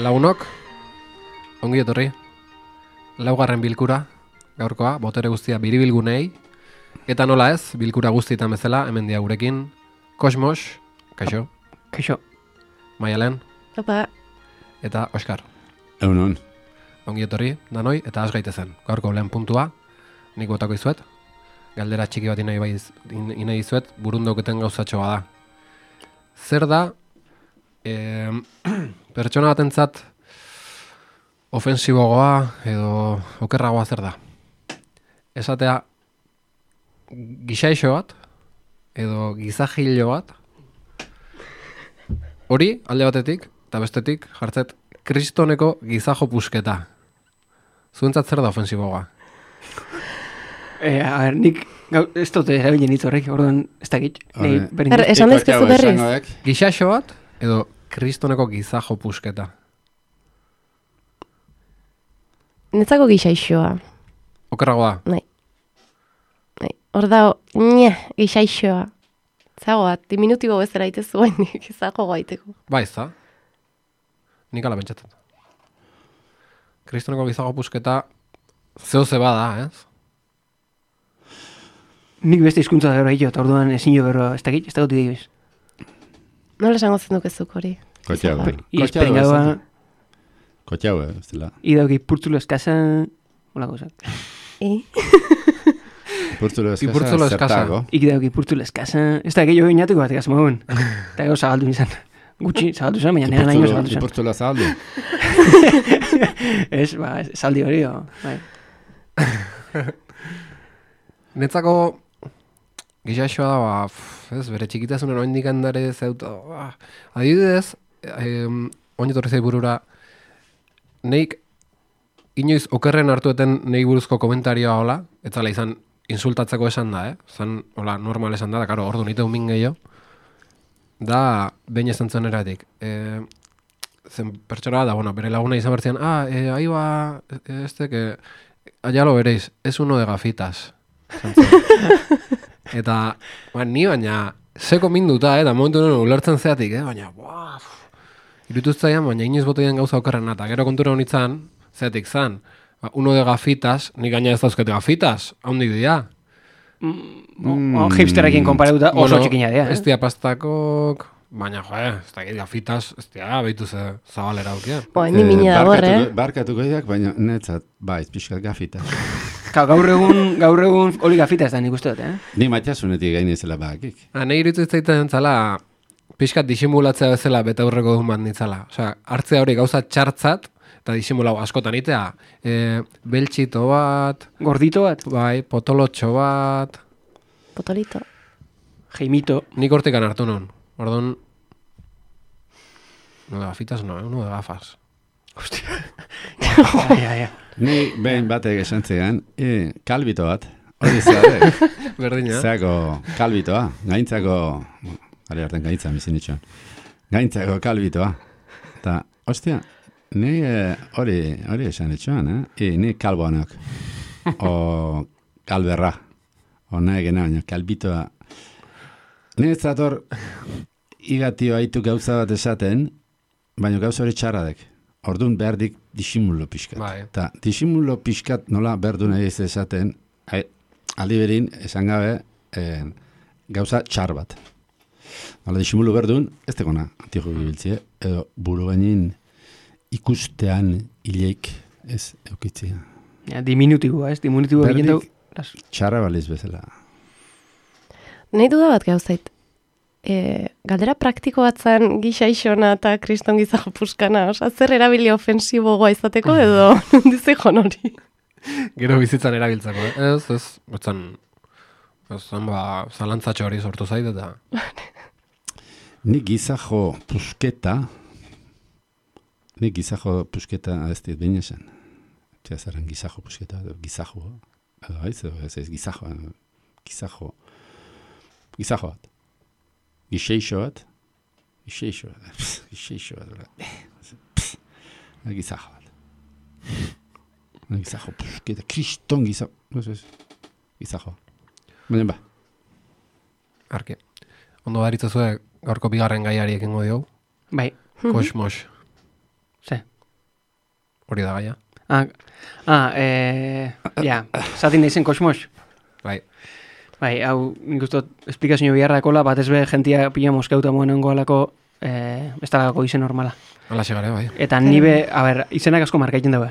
Lagunok, ongi etorri, laugarren bilkura, gaurkoa, botere guztia biribilgunei, eta nola ez, bilkura guztietan bezala, hemen dia gurekin, Kosmos, kaixo. Kaixo. Maialen. Opa. Eta Oskar. Egunon. Ongi etorri, danoi, eta has gaitezen. Gaurko lehen puntua, nik botako izuet, galdera txiki bat inai izuet, burundauketen gauzatxoa da. Zer da, pertsona batentzat ofensiboagoa edo okerragoa zer da? Esatea gizaixo bat edo gizajilo bat, hori alde batetik eta bestetik jartzet kristoneko gizajo pusketa. Zuentzat zer da ofensiboagoa? A ber, nik ez dute erabilen hitz horrek, orduan ez dakit. Esan daizkezu berriz. Gizaixo bat edo kristoneko gizajo pusketa? Netzako gizaixoa. Okerragoa? Nahi. Hor da, gizaixoa. Zagoa, diminutibo bezala itezu baina gizajo gaiteko. Ba, ez da. Nik ala pentsatzen. Kristoneko gizajo pusketa zeo ze bada, ez? Nik beste hizkuntza da hori eta orduan ezin jo berro ez dakit, ez dakit dibiz. Nola esango zen dukezuk hori? Kotxaua. Izperengaua, Kotxaua, ez dela. idauki purtzulo eskasa, hola gozat. Purtzulo Purtzulo eskasa. zertago. Idauki purtzulo eskasa, ez da gehiago inatuko bat egaz mauen. Eta gau zabaldu izan. Gutxi zabaldu izan, baina nera nahi zabaldu izan. Purtzulo zabaldu. Ez, ba, zaldi hori, bai. Netzako gizaixoa da, ez, bere txikitasunen oindik handare zeuta. Adibidez, oinetorri zei burura, neik inoiz okerren hartueten nei buruzko komentarioa hola, etzala izan insultatzeko esan da, zan, hola, normal esan da, karo, ordu nite umin gehiago, da, behin esan zen eratik. Zen pertsona da, bueno, bere laguna izan bertzean, ahí va, que, allá lo veréis, es uno de gafitas. Eta, ni baina, seko minduta, eta momentu nuen ulertzen zeatik, baina, irutuztzaian, baina inoiz botoian gauza okerren eta gero kontura honitzan, zeatik zan, uno de gafitas, nik gaina ez dauzket gafitas, haundik dira. Hipsterrekin konparatuta oso txikina dira, ez dia pastakok, baina, ez da gafitas, ez dia, behitu ze zabalera aukia. Ni mina da borre, Barkatuko diak, baina netzat, baiz, pixkat gafita. Gaur egun hori gafita ez da nik uste dut, Ni matxasunetik gainezela bakik. Nahi irutu zaiten zala, pixkat disimulatzea bezala bete aurreko duen bat nitzala. Osea, hartzea hori gauza txartzat, eta disimulau askotan itea. Beltxito bat, Gordito bat, bai, potolotxo bat. potolito. Jaimito. Nik hortikan hartu non. Orduan, no de gafitas no, uno de gafas. Ja. Ni behin batek esan zegan, kalbito bat, hori zeare. Berdina. Zeako kalbitoa, gaintzako, ari hartan gaintza bizin itxoan, gaintzako kalbitoa. Eta, ostia, ni hori esan itxoan, ni kalboanak, o kalberra, o nahi gena, baina kalbitoa. Ni ez zator, igatio haitu gauza bat esaten, baina gauza hori txarradek. Orduan behardik disimulo pixkat. Bai. Ta disimulo pixkat nola berdu nahi ez esaten, aldi berin, esan gabe, gauza txar bat. Hala disimulo berdun, ez tegona antijo bibiltzie, edo buru gainin ikustean hileik ez eukitzia. Ja, diminutiboa, ez? Diminutiboa egin dugu. Txarra baliz bezala. Nahi duda bat gauzait. Galdera praktiko bat zen gizaixona eta kriston gizajo puskana. Osa, zer erabili ofensibogoa izateko edo nundizekon hori? Gero bizitzan erabiltzako, ez, zalantzatxo hori sortu zait eta... Ni gizajo pusketa ez dit behin esan. Tia zaren gizajo pusketa, gizajo, ez gizajo bat. Gixeixo bat. Gizajo bat. Gizajo pusketa, kriston gizajo. Baina ba. Arke. Ondo daritza zuen gaurko bigarren gaiari ekingo diogu. Bai. Kosmos. Ze? Hori da gaia. Zatin nahi zen kosmos. Bai. Bai, hau, nik uste esplikazio biharra ekola, bat ez be, jentia pila moskeuta moenengo alako, ez talako izen normala. Hala segare, bai. Eta nibe, izenak asko markaiten dago.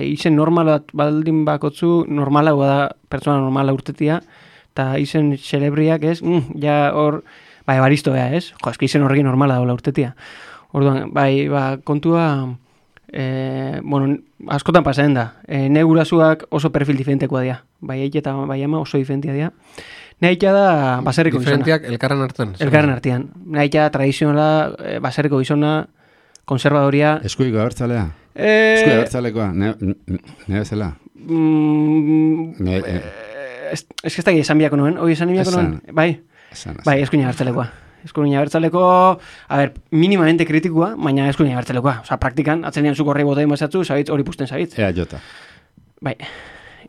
Izen normala baldin bakotzu, normala da pertsona normala urtetia, eta izen celebriak ez, ja hor, bai, baristo bea ez, jo, eski izen horrekin normala daula urtetia. Orduan, bai, kontua, askotan pasatzen da. Ne gurasuak oso perfil diferentekoa dira. Bai eite eta bai ama oso diferentia dira. Nahita da baserriko gizona. Diferentiak elkarren artean. Elkarren artean. Nahita tradizionala, baserriko gizona, konservadoria. Eskuiko abertzalea? Eskuiko abertzalekoa, nire zela? Ez que ez da esan biako nuen, hoi esan biako nuen, bai, eskuina abertzalekoa. Eskuina abertzaleko, minimamente kritikua, baina eskuina abertzalekoa. Osa, praktikan, atzenean zuk horrei botein bazatzu, zabitz, hori pusten zabitz. Ea jota. Bai.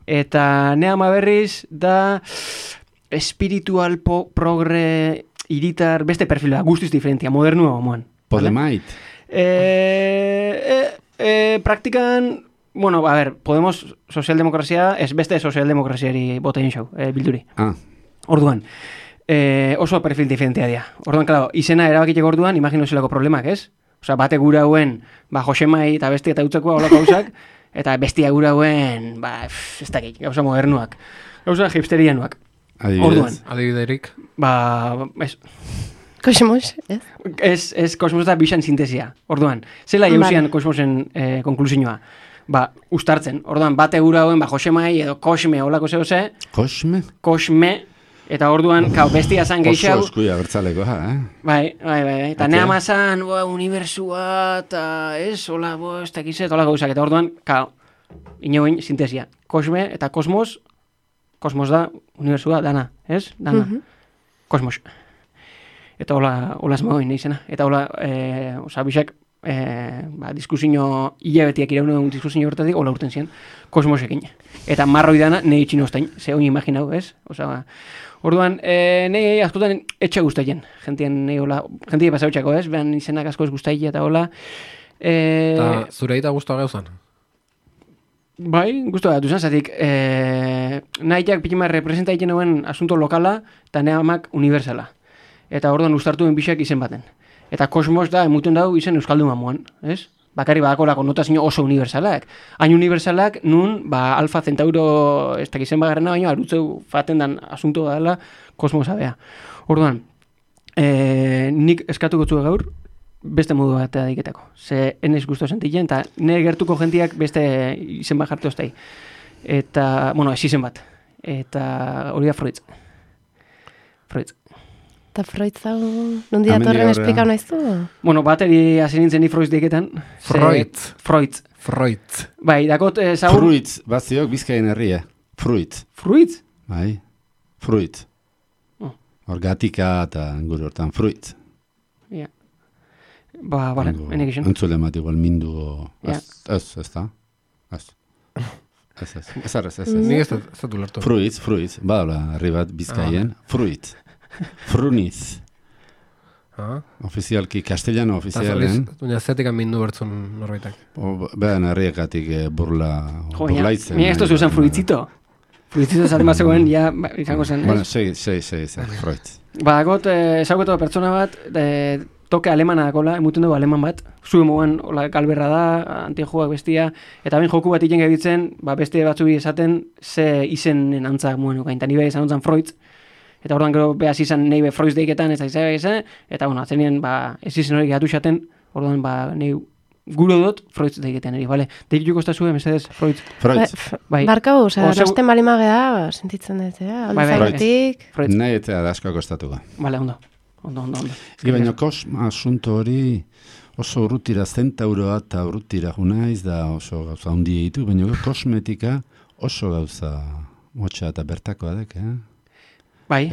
Eta ne ama berriz da espiritual progre iritar, beste perfila, guztiz diferentia, modernua gomoan. Podemait. Praktikan, Podemos sozialdemokrazia, ez beste sozialdemokraziari botein xau, bilduri. Orduan. Oso perfil diferentia dira. Orduan, claro, izena erabakiteko orduan, imagino zelako problemak, ez? Osa, bate gura hauen, Josemai eta beste eta utzekoa olako gauzak, eta bestia gura hauen, ez dakit, gauza modernuak. Gauza hipsterianuak. Orduan. Adibiderik. Ez. Kosmos, ez? Ez kosmos da bixan sintesia. Orduan, zela jauzian kosmosen konklusioa. Ustartzen. Orduan, bate gura hauen, Josemai edo Kosme olako zehose. Kosme? Kosme. Eta orduan, bestia zan geixau. Oso eskuia bertzaleko, Bai. Eta neama zan, unibertsua, eta ez, hola, ez dakizet, hola gauzak. Eta orduan, inoen sintesia. Kosme eta kosmos da, unibertsua, dana, ez? Dana. Kosmos. Eta hola esmagoin izena. Eta hola, bixak, diskusio hilabetiak iraun diskusio horretatik, hola urten zian, kosmosekin. Eta marroi dana, nahi itxin ostain, ze honi imaginau, ez? Orduan, nahi askotan etxe guztaien, jentie pasautxako, ez? Behan izenak asko ez guztaien eta hola. Eta zure eta guztua gauzan? Bai, guztua gatu zen, zatik, nahiak pitima representaiten hauen asunto lokala eta nehamak universala. Eta orduan ustartuen bixak izen baten. Eta kosmos da, emuten dau izen euskaldun mamuan, ez? Bakari badakolako notazio oso universalak. Hain universalak, nun, Alfa Centauro, ez dakizen bagarrena, baina arutzeu faten dan asunto dela kosmosa bea. Orduan, nik eskatu gotzu gaur, beste modu bat adiketako. Ze enez guztu sentitzen, eta nire gertuko jentiak beste izen bat jartu oztai. Eta, ez izen bat. Eta hori da Freud. Eta Freud zau, nondi datorren esplikau nahizu? Bateri hasi nintzen ni Freud deiketan. Freud. Bai, dakot zau... Freud, bat ziok Bizkaien herria. Freud? Bai, Freud. Hor gatika eta gure hortan Freud. Ja. Bale, enek izan. Antzule mat igual mindu... Ez da? Ez. Nik ez dut lertu. Freud, badala herri bat Bizkaien. Freud. Fruniz. Ofizialki, castellano ofizialen. Duina zetik mindu bertzun norbaitak. Behan herriekatik burlaitzen. Mira, esto se usan fruitzito. Fruitzito zaren bazegoen, ja, izango zen. Bueno, sei, Freud. Bagot, ezagutu pertsona bat, toke alemana dakola, emuten dugu aleman bat. Zue moan, galberra da, antijoak bestia. Eta ben joku bat iken gabitzen, beste batzu esaten, ze izenen antzak muen ukain. Eta nire izan ontzan Freud. Eta orduan gero behaz izan nahi Freud deiketan ez da izan, eta atzenien ez izan hori gehatu xaten, orduan nahi guro dut Freud deiketan eri, bale? Deikituko ez da zuen, mesedez, Freud. Bai. Barkau, nasten balimagea, sentitzen dut, alzagutik. Nahi eta dasko akostatuko. Bale, ondo. Baina asunto hori oso urrutira zentauroa eta urrutira junaiz da oso gauza hundi ditu, baina kosmetika oso gauza motxa eta bertakoa dek, Bai.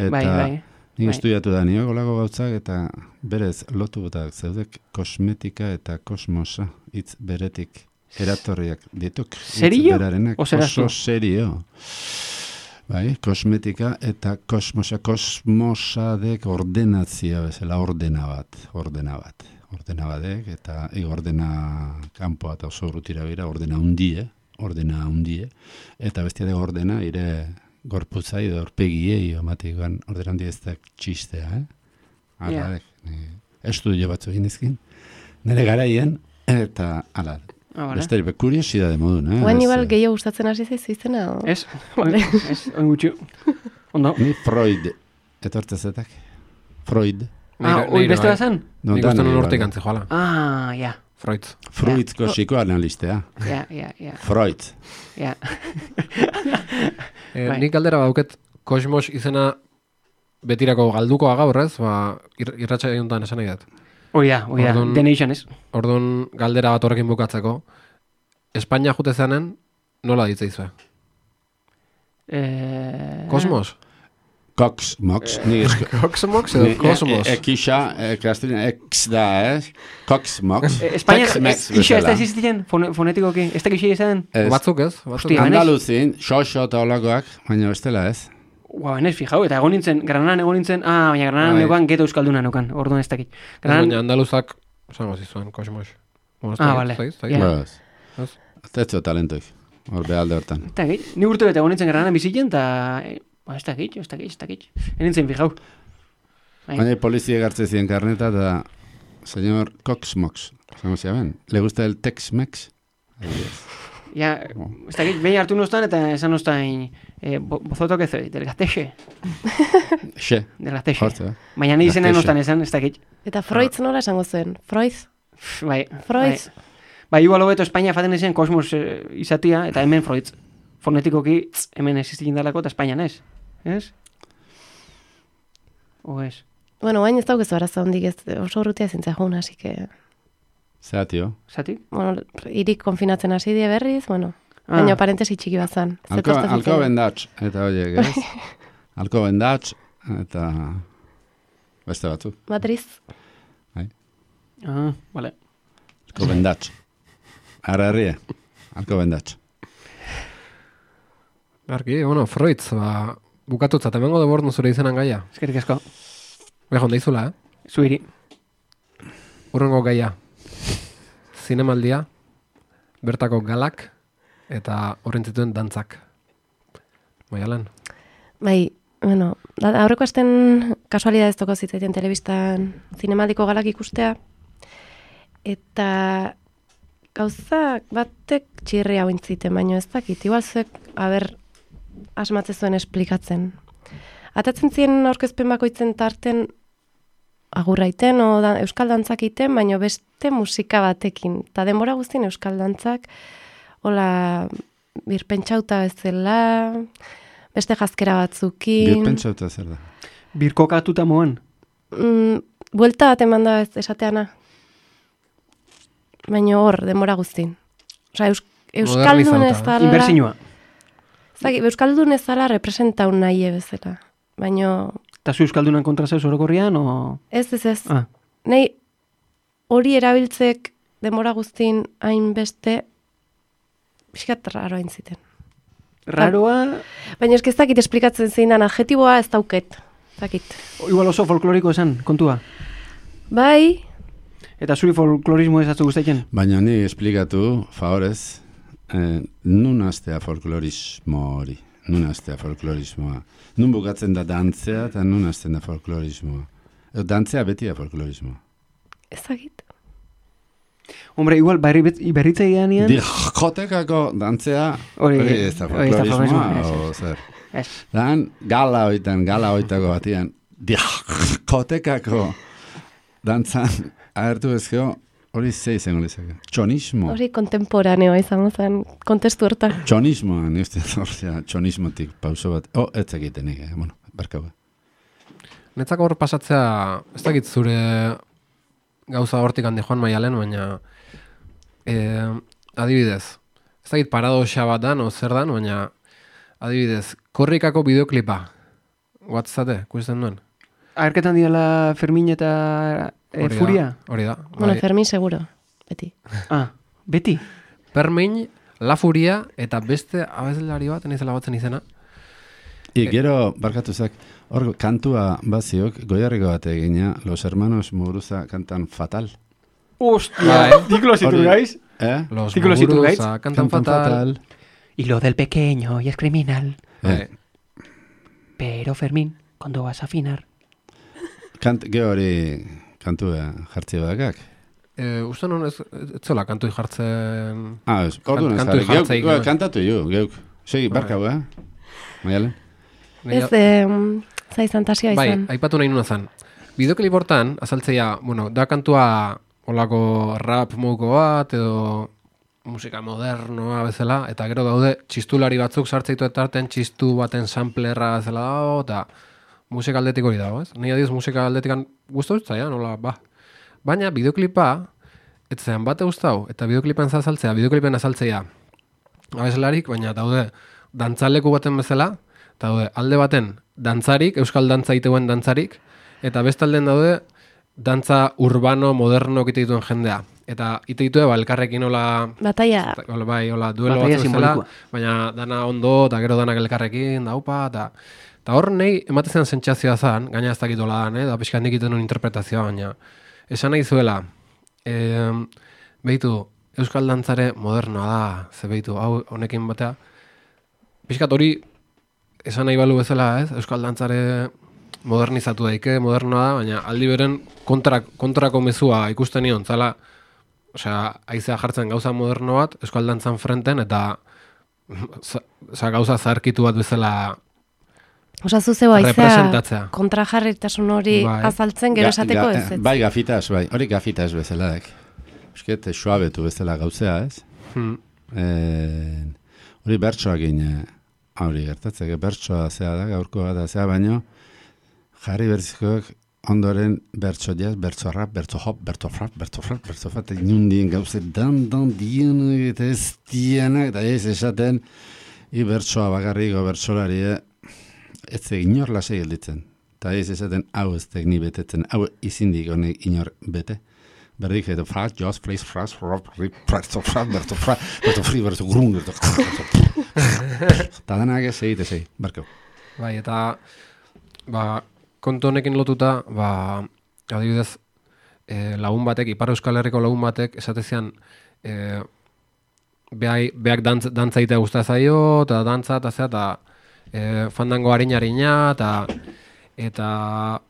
Nik estudiatu da nio golako gautzak eta berez lotu botak zeudek kosmetika eta kosmosa hitz beretik eratorriak dituk. Serio? Oso serio. Bai, kosmetika eta kosmosa dek ordenazia bezala ordena bat. ordena badek, eta ordena kanpoa eta oso urrutira bera, ordena hundie, eta bestia de ordena, ire gorputzai edo orpegiei, omatikoan ordena hundi ez da txistea, Ala, estudio batzu egin izkin, nire garaien, eta ala, besterik, kuriosidade modun, Oain igual gehiago gustatzen hasi zaizu izena? Ez, oin gutxu. Ondo. Ni Freud, etortzezetak. Freud. Hoi beste da zen? Nik uste nun urtik antzi joala. Ja. Freud. Freudko psikoanalistea. Ja. Freud. Ja. Nik galdera bauket Kosmos izena betirako galdukoa gaur ez, irratxa eguntan esan nahi dut. Oia, dene izan ez. Orduan galdera bat horrekin bukatzeko, Espainia jute zanen, nola ditzaizue? Kosmos? Coxmox. Coxmox edo Kosmos? Ekisa, kastelina, ex da, Coxmox. Espainia, isa ez da existitzen fonetikoki, ez da kixi izan? Batzuk ez? Andaluzin, xoxo eta olakoak, baina bestela ez. Enez, fijau, eta Granadan egon nintzen, baina Granadan neukan geto euskalduna neukan, orduan ez dakit. Baina andaluzak, zango zizuen, Kosmos. Bale. Tetzo talentoik, hor behalde hortan. Eta dakit, ni urte bete egon nintzen Granadan bizitzen, eta ez dakit. Enintzen, fijau. Baina polizia gartze ziren karneta, eta señor Coxmox, zango ziaben, le gusta el Tex-Mex? Ja, ez dakit, behin hartu nostan, eta esan nostan, bozoto que soy, del Gastexe. Xe. Del Gastexe. Baina nahi izena nostan esan, ez dakit. Eta Freud nola esango zen? Freud? Freud. Bai, igual hobeto Espainia faten ezen Kosmos izatia, eta hemen Freud. Fonetikoki, hemen existitzen dalako, eta Espainan ez. Ez? O ez? Bueno, baina ez daukezu arazo hondik ez, oso urrutia zintzea joan, hasi que... Zeatio. Zati? Bueno, irik konfinatzen hasi die berriz, bueno, baina parentesi txiki bat zan. Alko bendatx, eta oiek, ez? Alko bendatx, eta beste batzuk. Matriz. Vale. Alko bendatx. Ara herrie, alko bendatx. Arki, bueno, Freud, bukatutzat, emango de bordu zure izenan gaia. Eskerrik asko. Behon daizula, Zuiri. Urrengo gaia. Zinemaldia, bertako galak, eta horren zituen dantzak. Maialen? Bai, bueno, aurreko asten kasualidad ez toko zitzaiten telebistan zinemaldiko galak ikustea, eta gauza batek txirri hau intziten, baino ez dakit, igual zuek, asmatze zuen esplikatzen. Atatzen ziren aurkezpen bakoitzen tarten agurraiten o euskal dantzak iten, baino beste musika batekin. Ta denbora guztien euskal dantzak, hola, birpentsauta bezala, beste jazkera batzukin. Birpentsauta zer da? Birkokatuta moan? Buelta bat eman da esateana. Baino hor, denbora guztien. Osa, euskaldun ez dala... Inbertsinua. Euskaldun ez dala representau nahi bezala. Baino... Eta zu euskaldunan kontra zeus orokorrian, o...? Ez. Nei hori erabiltzek denbora guztin hainbeste pixkat raroa intziten. Raroa... Baina ez dakit esplikatzen zein dan adjetiboa ez dauket. Zakit. Igual oso folkloriko esan, kontua. Bai. Eta zuri folklorismo ez atzu guztatzen? Baina ni esplikatu, favorez, nun astea folklorismo hori. Nun astea folklorismoa. Nun bukatzen da dantzea eta nun hasten da folklorismoa. Dantzea beti da folklorismoa. Ezagit. Hombre, igual berritza ideanian... Diskotekako dantzea hori ez da folklorismoa. O zer. Ez. Dan gala hoitako batian diskotekako dantzan agertu ezkeo hori zei zengo lezake. Txonismo. Hori kontemporaneo izango zen, kontestu horta. Txonismoa, ni uste txonismotik pauso bat. Ez egiten nik, bueno, barkau. Netzako hor pasatzea, ez dakit zure gauza hortik handi joan Maialen, baina adibidez, ez dakit paradoxa bat dan, o zer dan, baina adibidez, korrikako bideoklipa, guatzate, kusten duen? Agerketan diala Fermin eta Furia? Hori da. Bueno, Fermin seguro, beti. Beti? Fermin, La Furia, eta beste abeslari bat, nizela batzen izena. Gero, barkatuzak, hor kantua baziok, goiarriko bat egina, Los Hermanos Muguruza kantan Fatal. Hostia, títulos iturgaiz. Los Títulos Muguruza iturgaiz. cantan fatal. Y lo del pequeño y es criminal. Bai. Pero Fermín, cuando vas a afinar. Gero hori kantu jartzi badakak. Uste non ez zola kantu jartzen... Orduan ez kantu jarri. jartzeik. Geuk kantatu geuk. Segi, barkau, Maialen? Ez, zaizantasia Bai, izan. aipatu nahi nuna zan. Bideoklip hortan, azaltzeia, bueno, da kantua olako rap moduko bat, edo musika modernoa bezala, eta gero daude txistulari batzuk sartzeitu eta artean txistu baten samplerra bezala dago, eta musika aldetik hori dago, ez? Nei adiz musika aldetikan guztu zaia, nola, Baina bideoklipa, ez zean bate guztau, eta bideoklipen azaltzea, abeslarik, baina daude dantzaleku baten bezala, eta daude alde baten dantzarik, euskal dantza iteuen dantzarik, eta bestalden daude dantza urbano, moderno kite dituen jendea. Eta ite ditue, elkarrekin hola... Bataia. Bai, hola, duelo Bataia batzu bezala, simbolikoa. baina dana ondo, eta gero danak elkarrekin, daupa, eta hor nahi ematezen sentsazioa zan, gaina ez dakitola dan, da pixka nik iten un interpretazioa, baina esan nahi zuela, behitu, euskal dantzare modernoa da, ze behitu, hau honekin batea, pixkat hori esan nahi balu bezala, ez? Euskal dantzare modernizatu daike, modernoa da, baina aldi beren kontrako mezua ikusten nion, zala, haizea jartzen gauza moderno bat, euskal dantzan frenten, eta gauza zaharkitu bat bezala Osa zuzeu aizea representatzea. kontrajarritasun hori Bai. azaltzen gero esateko ez. Bai, gafitas, bai. Hori gafitas bezala, Eusket, suabetu bezala gauzea, ez? Hori bertsoakin, hori gertatzeke, bertsoa zea da, gaurkoa da zea, baino, jarri berzikoak ondoren bertso jaz, bertso rap, bertso hop, bertso frap, eta inundien gauze dan dienak eta ez dienak, eta ez esaten, bertsoa bakarriko bertsolari, ez inor lasei gelditzen. Eta ez esaten, hau ez tekni betetzen, hau izindik honek inor bete. Berdik, eta fraz, joz, fleiz, fraz, rop, rip, berto fri, berto grun, berto... Eta denak ez egite, barkau. Bai, eta kontu honekin lotuta, adibidez, lagun batek, Ipar Euskal Herriko lagun batek, esatezian, beak dantza itea guztia zaio, eta dantza, eta zea, eta fandango harina, eta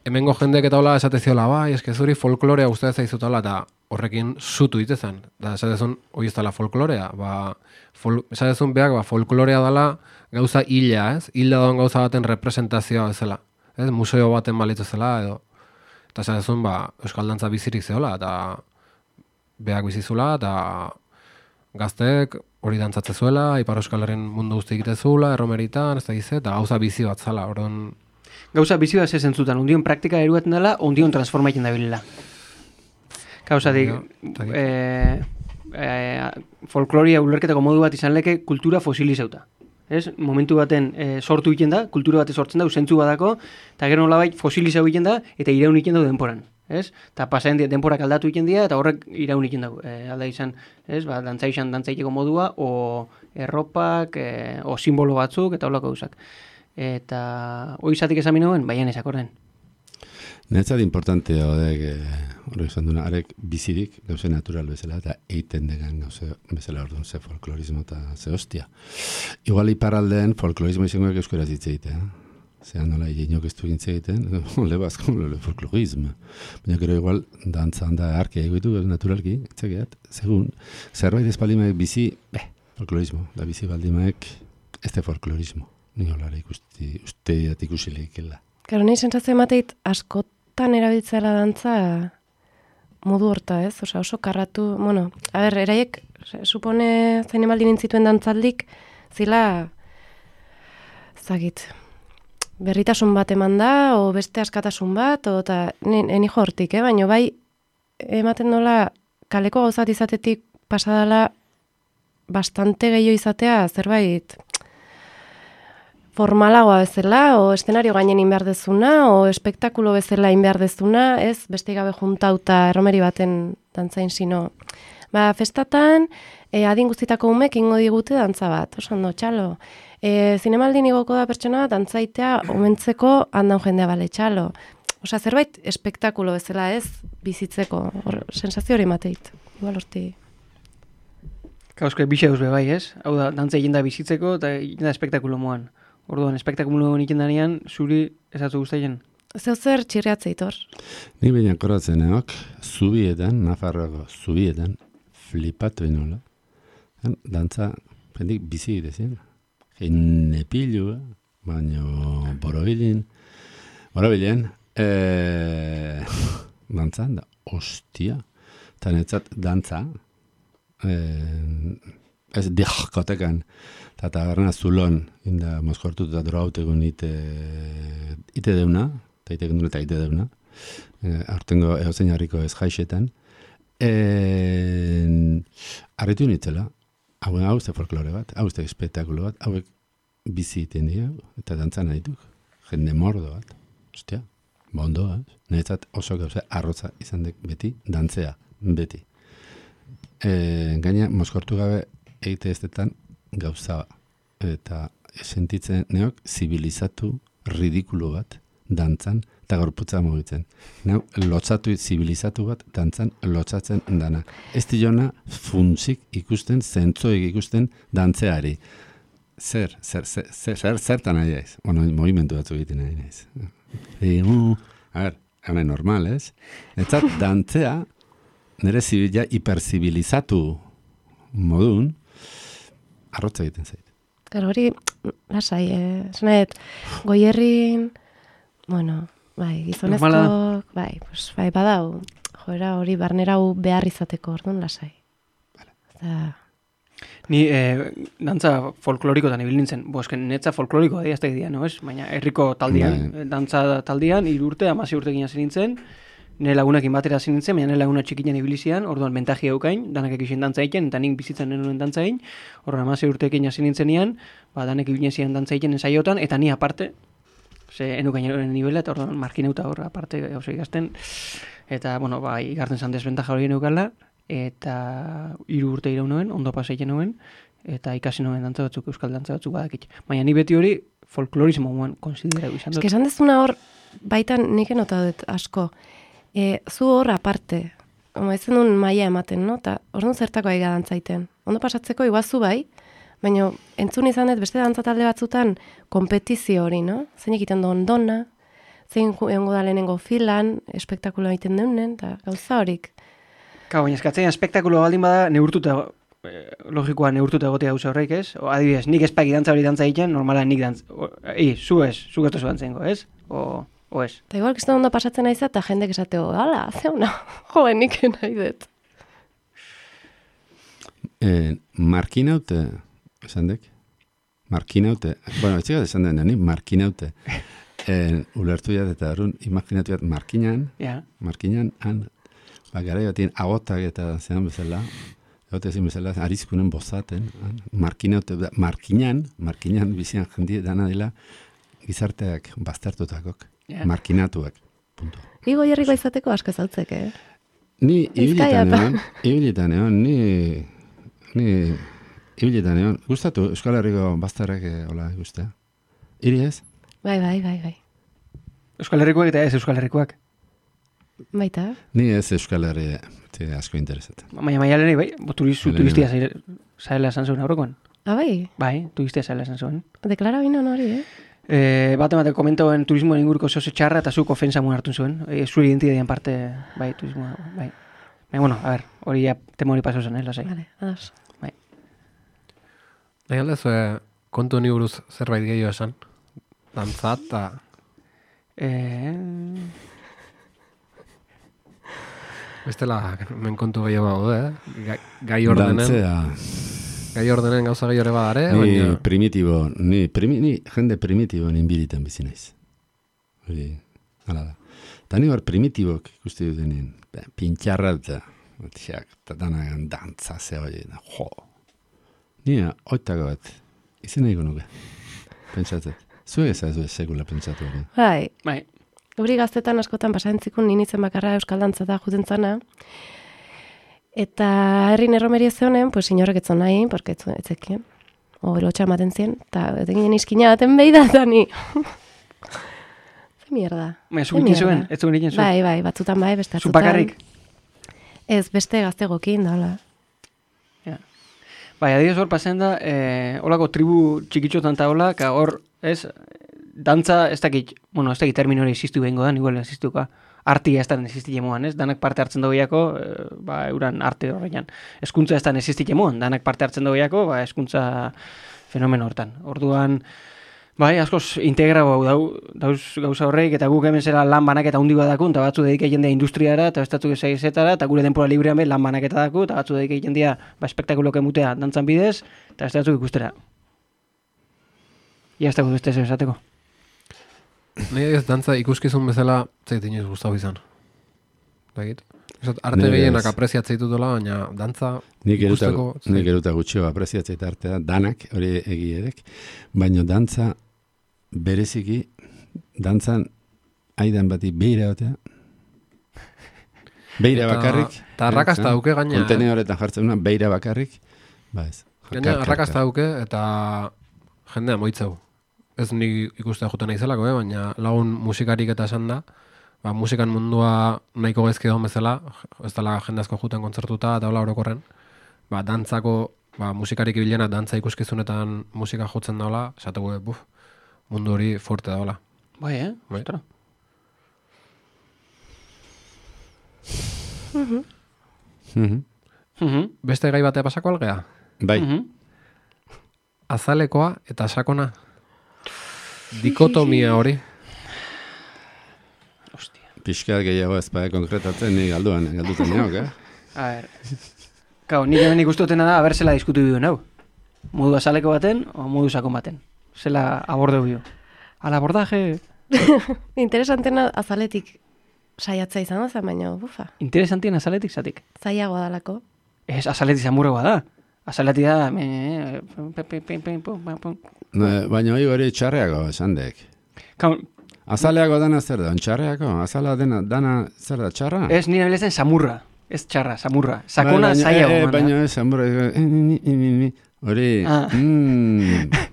hemengo jendek eta hola esateziola, bai, eske zuri folklorea guztia zaizutala, eta horrekin zutu itezan. Da, esatezun, hori ez dela folklorea. Esatezun beak, folklorea dela gauza hila, ez? Hila doan gauza baten representazioa bezala. Ez? Museo baten balitu zela, edo. Eta esatezun, euskal dantza bizirik zehola, eta beak bizizula, eta gazteek hori dantzatze zuela, Ipar Euskal Herren mundu guzti egite zuela, erromeritan, ez da gize, eta gauza bizi bat zala, orduan... Gauza bizi bat zentzutan, undion praktika eruaten dela, undion transformaiten da bilela. Gauzatik, folkloria ulerketako modu bat izan leke kultura fosilizauta. Ez? Momentu baten sortu egiten da, kultura bat sortzen da, zentzu badako, eta gero nolabait fosilizau egiten da, eta iraun egiten da denporan. Ez? Eta pasaen denporak aldatu egiten dira, eta horrek iraun egiten dago. Alda izan, ez? Dantza izan dantzaiteko modua, o erropak, o simbolo batzuk, eta holako gauzak. Eta hori izatik esan minuen, baian ezakorden. Netzat importantea hodek, hori izan duna, arek bizirik, gauze natural bezala, eta eiten degan gauze bezala orduan, ze folklorismo eta ze hostia. Igual iparaldean folklorismo izangoak euskaraz hitz egitea. Zeran nola, inok ez du gintze egiten, lebazko, folklorismo. Baina gero igual, dantzan da arkia egoitu, naturalki, etzakeat, segun, zerbait espaldimaek bizi, folklorismo, da bizi baldimaek, ez de folklorismo. Ni holara usteat ikusileikela. Gero nahi sentsazio emateit askotan erabiltzela dantza modu horta, ez? Oso karratu, eraiek, supone zain emaldi nintzituen dantzaldik, zila, zagit, berritasun bat eman da, o beste askatasun bat, eta eni hortik, baina bai ematen dola kaleko gauzat izatetik pasadala bastante gehiago izatea zerbait formalagoa bezala, o eszenario gainen inbehar dezuna, o espektakulo bezala inbehar dezuna, ez beste gabe juntauta erromeri baten dantzain sino. Festatan, adin guztitako umek ingo digute dantza bat, oso ondo, txalo. Zinemaldin igoko da pertsona, dantzaitea, omentzeko handan jendea bale, txalo. Osea, zerbait espektakulo bezala ez bizitzeko, sensazio hori mateit. Igual horti. Kauske bixe be bai, ez? Hau da, dantza egin da bizitzeko eta egin da espektakulo moan. Orduan, espektakulo egin danean, zuri ezatzu guztaien? Zeu zer txirriatzeit hor? Ni baina koratzeneok, zubietan, Nafarroako zubietan, flipatu inola. Dantza, pendik bizi egitezien. Hine pilu, baina borobilen, dantzan da, ostia. Eta netzat dantza, ez dihkotekan, eta taberna zulon, inda mozkortut eta droautegun ite deuna, eta ite deuna, aurtengo egozein harriko ez jaixetan, arritu nitzela, hau ze folklore bat, hau ze espektakulo bat, hauek bizi iten dira, eta dantzan adituk, jende mordo bat, ostia, bondoa, niretzat oso gauza arrotza izan dek beti, dantzea, beti. Gaina, mozkortu gabe egite estetan gauza eta sentitzen neok zibilizatu ridikulo bat dantzan eta gorputza mugitzen. Neu, lotzatu zibilizatu bat dantzan lotzatzen dana. Ez diona funtzik ikusten, zentzoik ikusten dantzeari. Zertan nahi ez? Bueno, movimentu batzu egiten nahi ez. A ver, hana normal, ez? Eta dantzea nire zibila hiperzibilizatu modun arrotza egiten zait. Gero hori, lasai, esanet, Goierrin, bueno, bai, gizonezkoak, bai, badau, joera hori barnerau behar izateko, orduan lasai. Ni dantza folklorikotan ibil nintzen, netza folklorikoa diaztek dira, no ez? Baina herriko taldean, dantza taldean, 3 urte, 16 urtekin hasi nintzen, nire lagunekin batera hasi nintzen, baina nire laguna txikian ibilizian, orduan bentaji eukain, danak ekizien dantza egiten, eta nik bizitzen nenuen dantza egin, orduan 16 urtekin hasi nintzenian, danak ibilizien dantza egiten ensaiotan, eta ni aparte, enukain nivela, eta orduan markineuta hor, aparte gauza ikazten, eta, bueno, igarten zan desbentaja hori eukala, eta 3 urte irau nuen, ondo paseiten nuen, eta ikasi nuen dantza batzuk, euskal dantza batzuk badakit. Baina ni beti hori folklorismo moan konsiderau izan dut. Esan dezuna hor, baitan nik enota dut asko, zu hor aparte, ezen duen maia ematen, no? Ta orduan zertako aiga dantzaiten. Ondo pasatzeko iguazu bai, baina entzun izan dut beste dantza talde batzutan kompetizio hori, no? Zein egiten duen dona, zein egongo da lehenengo filan, espektakulo egiten deunen, eta gauza horik. Baina eskatzen espektakulo baldin bada neurtuta, logikoa neurtuta egotea gauza horreik, ez? Adibidez, nik espaki dantza hori dantza egiten, normala nik dantza, zu gertu zu dantzengo, ez? O ez? Eta igual kiston ondo pasatzen naiz eta jendek esateo, ala, zeuna, joen nik nahi dut. Markinaute, esan dek? Markinaute, bueno, etxegat esan den deni, markinaute. Ulertu jat eta arun, imaginatu jat markinan, han, gara batien agotak eta zean bezala, egotezin bezala, arizkunen bozaten, markinaute, markinan bizian jendi dana dela, gizarteak baztertutakok, markinatuak, punto. Igo jarriko izateko asko zautzek, Ni ibilitan egon, gustatu Euskal Herriko bazterrek hola guztia. Iri ez? Bai. Euskal Herrikoak eta ez Euskal Herrikoak. Baita. Ni ez Euskal Herri asko interesatzen. Maialeni, bai, turistia zaila esan zuen aurrekoan. Bai? Bai, turistia zaila esan zuen. Deklara binon hori, Bat komentoen turismoen inguruko zoze txarra eta zuk ofensa mun hartu zuen. Zure identidadian parte, bai, turismoa, bai. Baina, bueno, a ver, hori ya temo hori paso zen, lasai. Vale, ados. Bai. Nahi aldez, kontu honi buruz zerbait gehiago esan? Dantzat, eta... Bestela, men kontu gehiago bago, gai ordenen. Dantzea. Gai ordenen gauza gehiore badare, Ni baina... primitibo, ni jende primitibo ninbilitan bizi naiz. Hori, hala da. Eta ni hor primitibok ikusti dutenien, pintxarra eta danagan dantza ze hori, jo. Ni oitako bat, izan nahi nuke, pentsatzen. Zuek ez ez sekula pentsatu hori. Bai. Hori gaztetan askotan pasaentzikun ninitzen bakarra euskal dantza da juten zana. Eta herrin erromeria zehonen, pues inorrek etzon nahi, porque etzekien. O lotxa ematen zien, eta eteginen izkina baten behi da, eta ni. mierda. Zuk egiten zuen, ez zuen egiten zuen. Bai, batzutan bai, beste Zu batzutan. bakarrik. Ez, beste gaztegokin, da, hola. Bai, adibidez hor pasen da, holako tribu txikitxotan eta hola, ka hor, ez, dantza, ez dakit termino hori existu behingo da, igual existuka. Artia ez da existi jemoan, ez? Danak parte hartzen dogiako, euran arte horrean. Eskuntza ez da existi jemoan, danak parte hartzen dogiako, eskuntza fenomeno hortan. Orduan, bai, askoz integrago dauz gauza horreik, eta guk hemen zera lan banaketa hundi badakun, eta batzu dedika jendea industriara, eta bestatzuk ezetara, eta gure denpora librean be lan banaketa daku, eta batzu dedika jendea espektakuloke mutea dantzan bidez, eta bestatzuk ikustera. Ia ez dago beste zer esateko. Nire ez dantza ikuskizun bezala zait inoiz gustau izan. Dakit? Arte gehienak apreziatzea ditutela, baina dantza ikusteko... Nik eruta gutxio apreziatzea artea, danak, hori egierek, baina dantza bereziki, dantzan aidan bati beira batea, beira bakarrik. Eta arrakasta dauke gaina. Kontenedoretan jartzen una, beira bakarrik, ba ez. Gaina arrakasta dauke eta jendea moitzeu. Ez nik ikustea juten naizelako, baina lagun musikarik eta esan da, musikan mundua nahiko gezki daun bezala, ez dela jende asko juten kontzertuta eta hola orokorren, dantzako, musikarik ibilena dantza ikuskizunetan musika jotzen daola, esateko, mundu hori fuerte daola. Bai, Ostra. Beste gai batea pasako algea? Bai. Azalekoa eta sakona. Dikotomia hori. Ostia. Pixkat gehiago ez konkretatzen, ni galdutan neok, A ber. Kau, nik hemen ikustutena da, aber zela diskutu biduen, hau. Modu azaleko baten, o modu sakon baten. Zela abordeu bio. Al abordaje... Interesantena azaletik saiatza izan da, baina, bufa. Interesantien azaletik zatik. Zaiagoa dalako. Ez, azaletik zamurregoa da. Azaletik da... Baina hori txarreago esan dek. Azaleago dana zer da, txarreago? Azala dana zer da, txarra? Ez, nire bilezen samurra. Ez txarra, samurra. Sakona zaiago. Baina ez, samurra. Hori,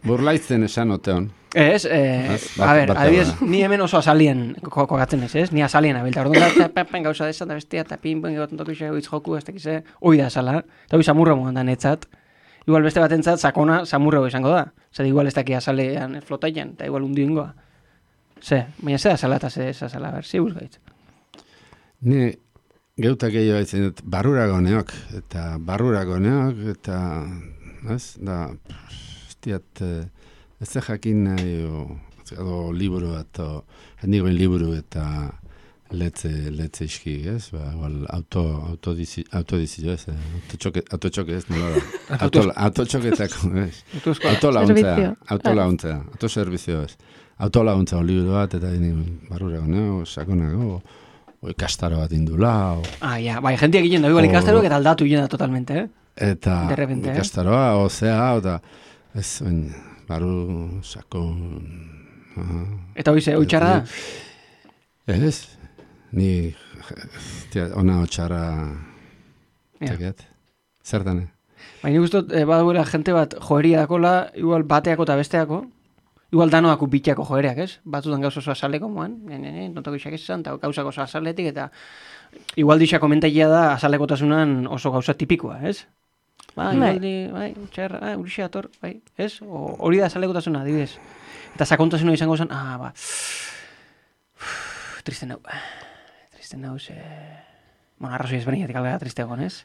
burlaitzen esan oteon. Ez, a ber, adibidez, ni hemen oso azalien kokatzen ez? Ni azalien abilta. Orduan gauza desan da bestia, eta pinpoin egoten toku isego joku, ez tekize, hoi da azala. Eta hoi samurra mogan da netzat. Igual beste batentzat sakona samurra izango da. Zer, igual ez daki azalean flotaian, eta igual hundu ingoa. Baina ze azala eta ze azala, ber, zi busgaitz. Ni geutak gehiago haitzen dut, barrurago neok, eta, ez, da, estiat, ez da jakin nahi, o liburu bat, hendigoen liburu eta letze iski, ez, autodizio, ez, autotxoke ez, nola da, autotxoketako, ez, autolauntzea, autoservizio, ez, autolauntza liburu bat, eta barrurago neo, sakonago, ikastaro bat indula. Bai, jentia egiten da, igual ikastaroak eta aldatu egiten da totalmente, Eta ikastaroa, eta ez, baru, sakon... Eta hoi txarra da? Ez, ni, ona txarra, tekiat, zertane. Baina guztot, baduela jente bat joeria dakola, igual bateako eta besteako, igual danoako bitxako joereak, ez? Batzutan gauz oso azaleko moan, notako isak esan, eta gauzako oso azaletik, eta igual dixak komentaia da azalekotasunan oso gauza tipikoa, ez? Bai, txarra, urixi ator, bai, ez? Hori da azalekotasuna, adibidez. Eta sakontasuna izango zen, triste nau, bueno, arrazoi ezberdinetik algara triste egon, ez?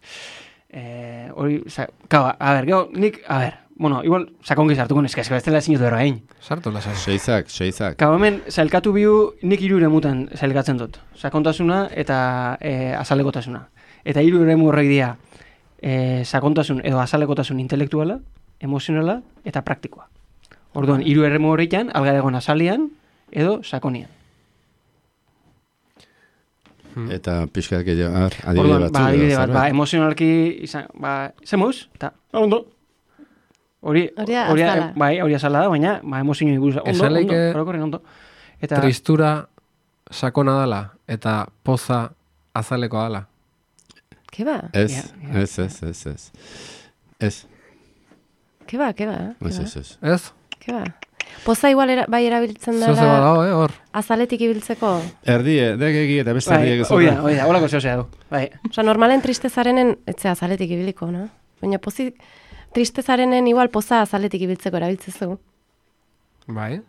Hori, gero, nik, bueno, igual, sakongiz hartuko neska, ez dela zinutu ero hain. Sartu lasa. Seizak. Kau, hemen, zailkatu bihu, nik hiru eremutan zailkatzen dut. Sakontasuna eta azalekotasuna. Eta hiru eremu horrek dira, sakontasun edo azalekotasun intelektuala, emozionala eta praktikoa. Orduan, hiru eremu horretan, algaregon azalean edo sakonian. Eta pixkat gehiago, adibide batzu. Adibide bat, emozionalki izan, zemuz, eta ondo. Hori azala da, baina emozionoi buruz. Ondo. Eta tristura sakona dala eta poza azalekoa dala. Keba? Ez. Keba. Ez? Keba. Poza igual bai erabiltzen Zeo dara dago, hor. azaletik ibiltzeko. Erdie, degegi eta beste Bai, erdiek oida, holako zehosea du. Bai. Osa, normalen tristezarenen, etzea azaletik ibiliko, no? Baina tristezarenen igual poza azaletik ibiltzeko erabiltzezu. Bai.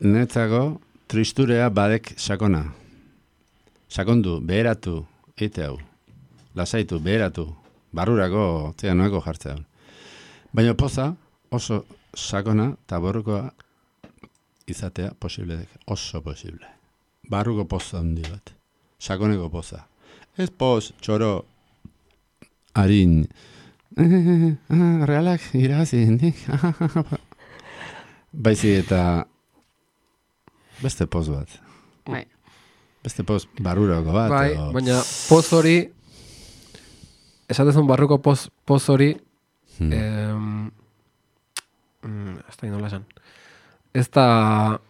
Netzako tristurea badek sakona. Sakondu, beheratu, eite hau. Lasaitu, beheratu, barrurako, zera noeko jartzea. Baina poza oso sakona eta borrukoa izatea posible, oso posible. Barruko poza handi bat. Sakoneko poza. Ez poz, txoro, harin, realak irazi, baizi eta beste poz bat. Bai. Beste poz barrurako bat. Bai, baina poz hori, esatezun barruko poz hori, ez da inola esan. Ez da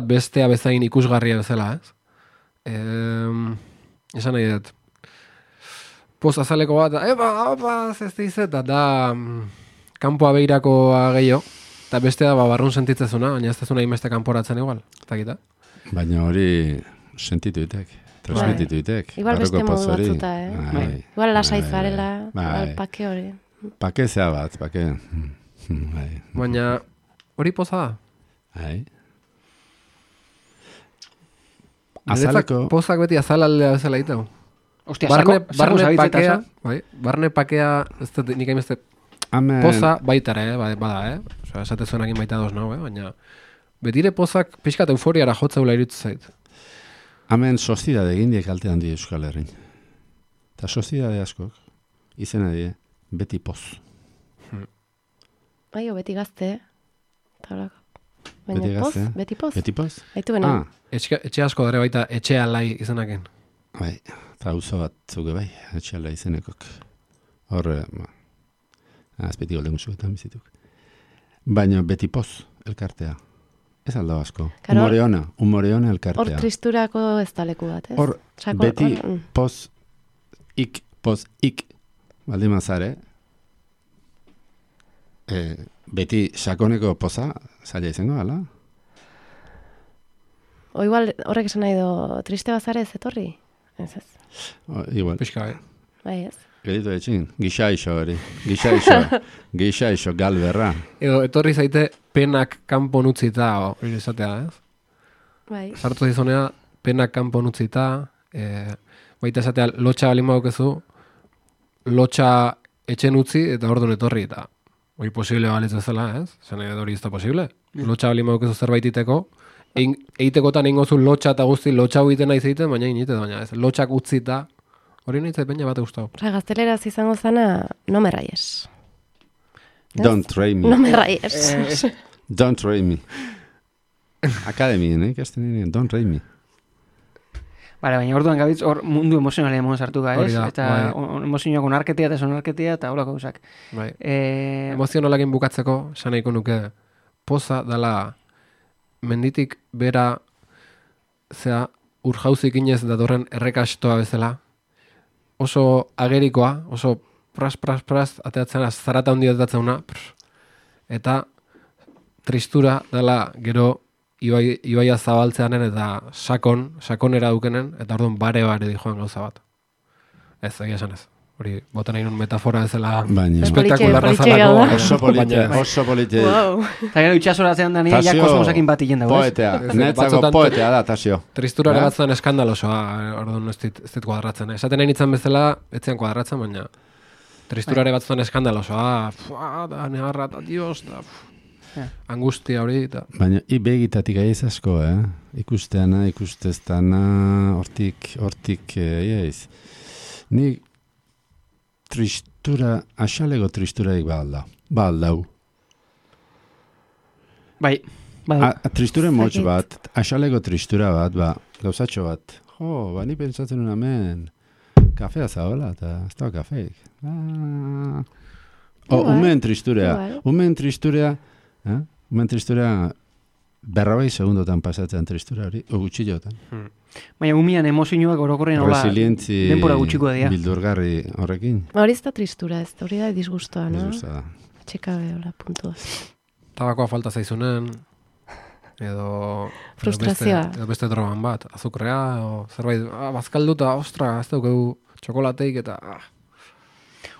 bestea bezain ikusgarria bezala, ez? Esan nahi dut. Poz azaleko bat, ez dizeta, da kanpoa behirakoa gehiago, eta bestea barrun sentitzezuna, baina ez dezuna inbeste kanporatzen igual, eta gita. Baina hori sentitu ditek, transmititu ditek. Igual beste barruko poz modu hori. batzuta, Bai. Igual lasai zarela, Bai. igual pake hori. Pake zea bat, pake. Bai. Baina hori poza da. Bai. Niretzat Azaleko, pozak beti azalaldea bezala ditu. Ostia, Barne zabitzeta pakea, za? bai, barne pakea, ez dut nik hainbeste amen, poza baitare, bada, Osea, esate zuenakin baita doz nau, baina betire pozak pixkat euforiara jotzeula iruditzen zait. amen soziedade egin diek kalte handi Euskal Herrin. Eta soziedade askok, izena die, beti poz. Bai, beti gazte, eta horako. Baina Beti poz, gazte, beti poz. Beti poz? Haitu benen. Etxe asko dare baita etxe alai izenaken. Bai, eta auzo bat zuge bai, etxeala izenekok. Horre, azpeti golden guzuetan bizituk. Baina beti poz, elkartea. Ez alda asko. Claro, Humore ona elkartea. Hor tristurako ez da leku bat, ez? Hor, beti poz, ik, baldin mazare, beti sakoneko poza, zaila izango, ala? O igual horrek esan nahi do, triste bazare ez etorri? Ez. Igual. Pixka, Bai, ez. Geditu etxin, gixaixo hori. Gixaixo galberra. Edo, etorri zaite penak kanpon utzita, hori izatea, ez? Bai. Sartu zizonea, penak kanpon utzita, baita esatea, lotxa balin badukezu, lotxa etxen utzi, eta orduan etorri, eta hori posible balitz bezala, ez? Zene hori ez da posible. Lotxa balin badukezu zerbait iteko, egitekotan ingozu lotxa eta guzti, lotxa egiten nahi zeiten, baina inite, baina ez. Lotxak utzita, hori nahi zaiten bate gustau. Osa, gazteleraz izango zana, no me rayes. Don't try me. No me rayes. Don't try me. Akademien, ikasten nire, don't try me. Baina orduan gabitz hor mundu emozionale emon sartu ga, ez? Da, Eta emozioak onarketea eta sonarketea eta horako gauzak. Bai. Emozionalakin bukatzeko, esan nahiko nuke, poza dala menditik bera zea urjauzik inez datorren errekastoa bezala, oso agerikoa, oso pras, ateatzen zarata handia ateatzeuna, eta tristura dela gero ibaia zabaltzeanen eta sakonera dukenen, eta orduan bare dijoan gauza bat. Ez, egia esan ez. Hori, botan nahi nun metafora ezela espektakularra zalako. Oso polite. Wow. Eta gero itxasoratzean da nire, ja kosmosakin bat hien dago, ez? Poetea, netzako poetea da, Tasio. Tristurare batzutan eskandalosoa, orduan ez dit kuadratzen. Esaten nahi nintzen bezala, etzean kuadratzen, baina tristurare batzutan eskandalosoa, da negarra, da dios, da angustia hori, eta... Baina, begitatik aiz asko, ikusteana, ikusteztana, hortik, iaiz. Nik tristura, asalego tristuraik baldau. Bai. Tristura motx bat, asalego tristura bat, gauzatxo bat. Ni pentsatzen un hemen, kafea zaola, eta ez da kafeik. Umen tristurea, berrabai segundotan pasatzen tristura hori, gutxillotan. Baina umian emozioak orokorren hola denpora gutxiko dira. Bildurgarri horrekin. Hori ez da tristura, ez hori da disgustoa, no? Disgustoa da. Txekabe, hola, puntua. tabakoa falta zaizunen, edo Frustrazioa. edo beste drogan bat, azukrea, edo zerbait, bazkalduta, ostra, ez daukegu txokolateik eta...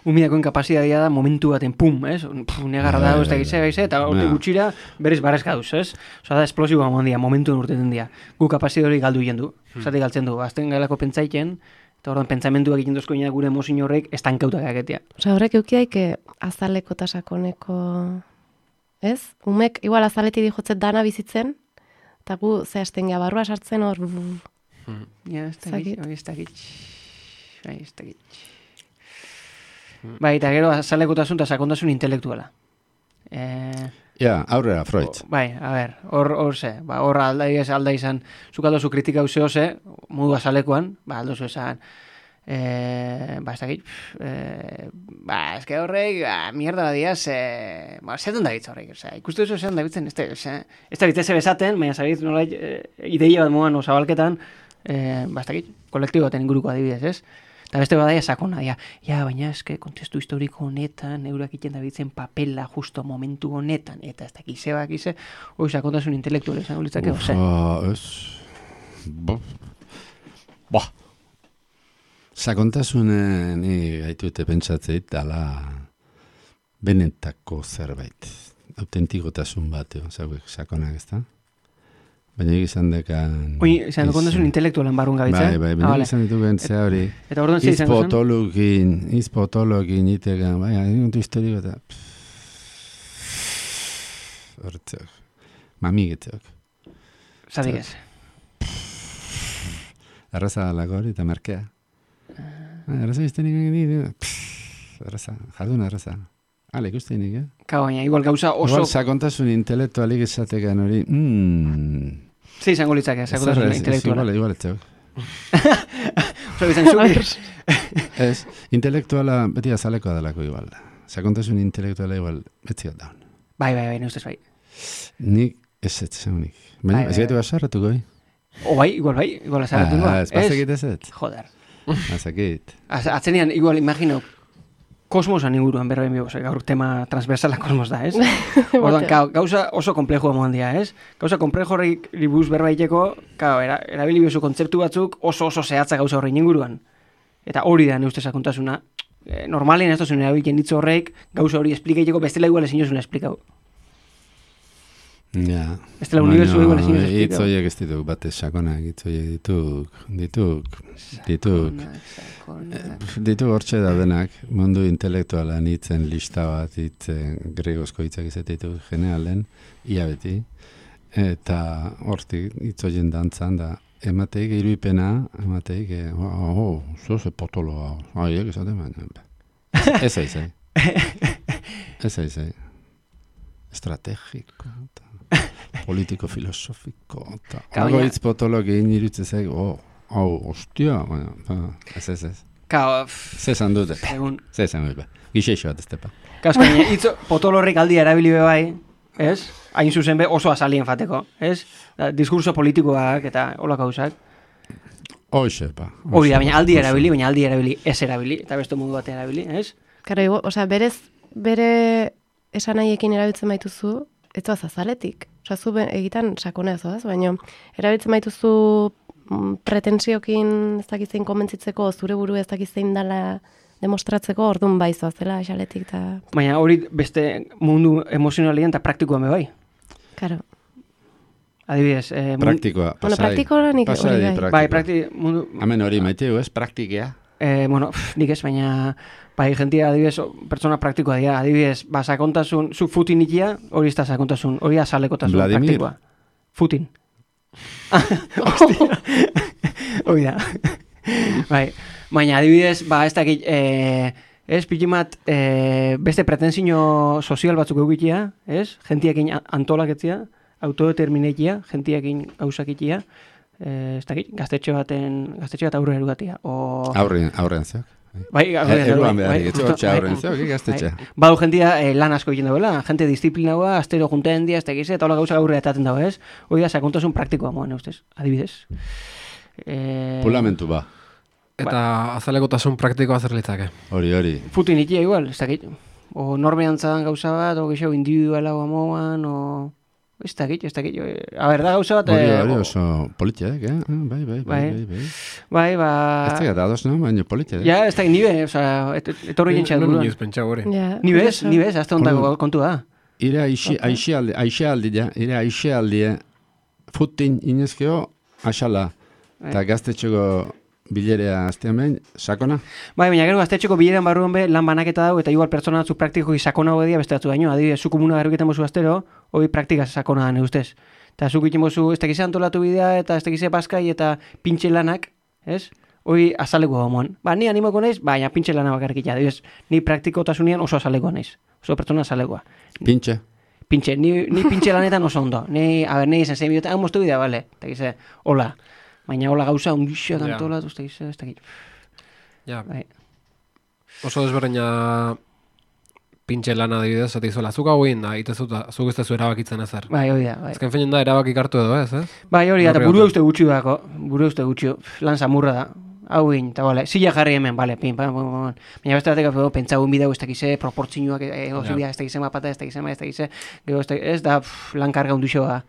Umidako inkapazitatea da momentu baten pum, ez? Negarra da, ez da gize, eta hortik gutxira berriz barrezka duz, ez? Osa da, esplosiboa mondia, momentu urteten dia. Gu kapazitatea hori galdu jendu, zatik galtzen du. Azten gailako pentsaiken, eta orduan pentsamentuak egiten dozko gure emozio horrek estankautak agetia. Osa, horrek eukidaik azaleko eta sakoneko, ez? Umek, igual azaletik dijotzet dana bizitzen, eta gu zehazten gea barrua sartzen hor... Ja, ez dakit. Bai, eta gero azalekotasun eta sakontasun intelektuala. Ja, aurrera, Freud. Bai, a ber, hor ze, hor alda izan, zuk aldozu kritika uzeo ze, modu azalekoan, aldozu esan, ez dakit, eske horrek, mierda badia, zertan da bitz horrek, ikustu duzu zertan da bitzen, ez da bitze bezaten, baina zabit nolait, ideia bat moan osabalketan, ez dakit, kolektibo baten inguruko adibidez, ez? Eta beste badaia sakona, baina eske kontestu historiko honetan, eurak iten da bitzen papela justo momentu honetan, eta ez dakit zebak ize, hori sakontasun intelektuale izango litzake, ose? Sakontasunen gaitute pentsatzeit, dala benetako zerbait, autentikotasun bat, sakonak ez da? Baina egizan dekan... Oin, izan dukontasun intelektualan barrun gabitzen? Bai, baina egizan ditu bentzea hori. Eta orduan zi izango zen? Izpotologin itegan, bai, eguntu historiko eta... Hortzeok. Mamigetzeok. Zatik ez? Arraza dalako hori eta merkea. Arraza iztenik egin arraza, jardun arraza. Ale, ikustenik, baina, igual gauza oso... Igual sakontasun intelektualik esatekan hori... Zi izango litzake, sakontasun intelektuala. Igual etzeok. Oso bizan zuki. Ez, intelektuala beti azalekoa dalako igual. Sakontasun intelektuala igual beti daun. Bai, ustez bai. Nik ez nik. Baina, ez gaitu azarratuko, igual azarratuko. Ez pasakit ez ez. Joder. Azakit. Atzenean, igual, imagino, kosmosan inguruan berroen bigo, gaur tema transversala kosmos da, ez? Orduan, gauza oso komplejua moan dia, ez? Gauza komplejo horrik ribuz berbaiteko, erabili biozu kontzeptu batzuk oso zehatza gauza horrein inguruan. Eta hori da, neuste sakontasuna. Normalien ez dozun erabiltzen ditzu horrek, gauza hori esplikaiteko bestela igual ezin jozuna esplikau. Ja. Bestela unibertsua igual ezin jozuna esplikau. Itzoiek ez dituk, bate sakonak, itzoiek dituk hortxe da denak, mundu intelektualan hitzen lista bat, hitzen gregozko hitzak izatetu generalen, ia beti, eta hortik hitzoien dantzan da, emateik iruipena, emateik, zoze potoloa, aiek esaten baina, ez aizai, estrategiko, politiko-filosofiko, algo hitz potologin irutzezek, hostia, ez. Zezan dute. Zezan dute. Gixeixo bat ez tepa. Kaskaina, hitz potolorrik aldia erabili bebai, ez? Hain zuzen be oso azalien fateko, ez? Diskurso politikoak eta holako gauzak. Hoxepa. Hori da, baina aldi erabili, ez erabili, eta beste mundu bat erabili, ez? Karo, bere esanahiekin erabiltzen baituzu, ez doaz azaletik. Zu egitan sakona ez doaz, baina erabiltzen baituzu pretensiokin ez dakizein konbentzitzeko, zure buru ez dakizein dela demostratzeko, orduan baizoa zela xaletik. Baina hori beste mundu emozionalian eta praktikoa me bai. Karo. Adibidez. Praktikoa, pasai. Bueno, praktikoa nik hori bai. Bai, praktikoa. Hemen hori maiteu, ez? Praktikea. Nik ez, baina bai, jentia, adibidez, pertsona praktikoa dira. Adibidez, sakontasun, zu Futin ikia, hori ez da sakontasun, hori azalekotasun praktikoa. Futin. Hostia. Hoi da. Bai, baina adibidez, ez dakit, ez, pikimat, beste pretensio sozial batzuk eukitia, ez? Gentiakin antolaketzia, autodeterminekia, gentiakin gauzakitia, ez dakit, gaztetxe bat aurre erugatia. Aurrean zeok. Bai, eruan behar, aurrean zeok, gaztetxe. Badu jentia lan asko egin dagoela, jente disiplinagoa, astero junteen dia, ez tegize, eta hola gauza aurre etaten dago, ez? Hoi da, sakontasun praktikoa moan, ustez, adibidez. Pulamentu Eta azalekotasun praktikoa zer litzake. Hori. Futin ikia igual, ez dakit. O norbeantzan gauza bat, o geixo individuala o amoan, o... Ez dakit. A ber, da gauza bat... Hori oso politiak, Bai. Bai, ba... Ez da ados, no? Baina politiak. Ja, ez dakit, nibe, etorri jentxeat Non buruan. inoiz pentsau hori. Nibez, azte ondako kontu da. Ire aixialdie, futin inezkeo, asala, eta gaztetxeko bilerea aztean behin, sakona? Bai, baina gero gaztetxeko bileran barruan be lan banaketa dau, eta igual pertsona batzuk praktikoki sakona hogedia beste batzu baino. Adibidez, zu komuna garruketen bozu astero, hori praktika sakona da ustez. Eta zuk iten bozu, ez tekize antolatu bidea, eta ez tekize paskai, eta pintxe lanak, ez? Hori azaleko gomoan. Ba, ni animoko naiz, baina pintxe lana bakarrik adibidez, ni praktikotasunean oso azaleko naiz. Oso pertsona azalekoa. Pintxe, ni pintxe lanetan oso ondo. Ni izan zein bidota, moztu bidea, bale? Eta gize, hola. Baina hola gauza, undixo antolatu, ez dakit. Ja. Bai. Oso desberdina pintxe lana adibidez, eta izuela, zuk hau egin da, zuk ez tezu erabakitzen ezer. Bai, hori da, bai. Ezken feinen da erabakik hartu edo, ez? Bai, hori da, eta buru uste gutxi dako, lan zamurra da. Hau egin, eta bale, zila jarri hemen, bale, pin. Baina beste batek, pentsagun bideu, ez dakize, proportzioak, ez dakize mapata, ez dakize, ez da, lan karga undixoa.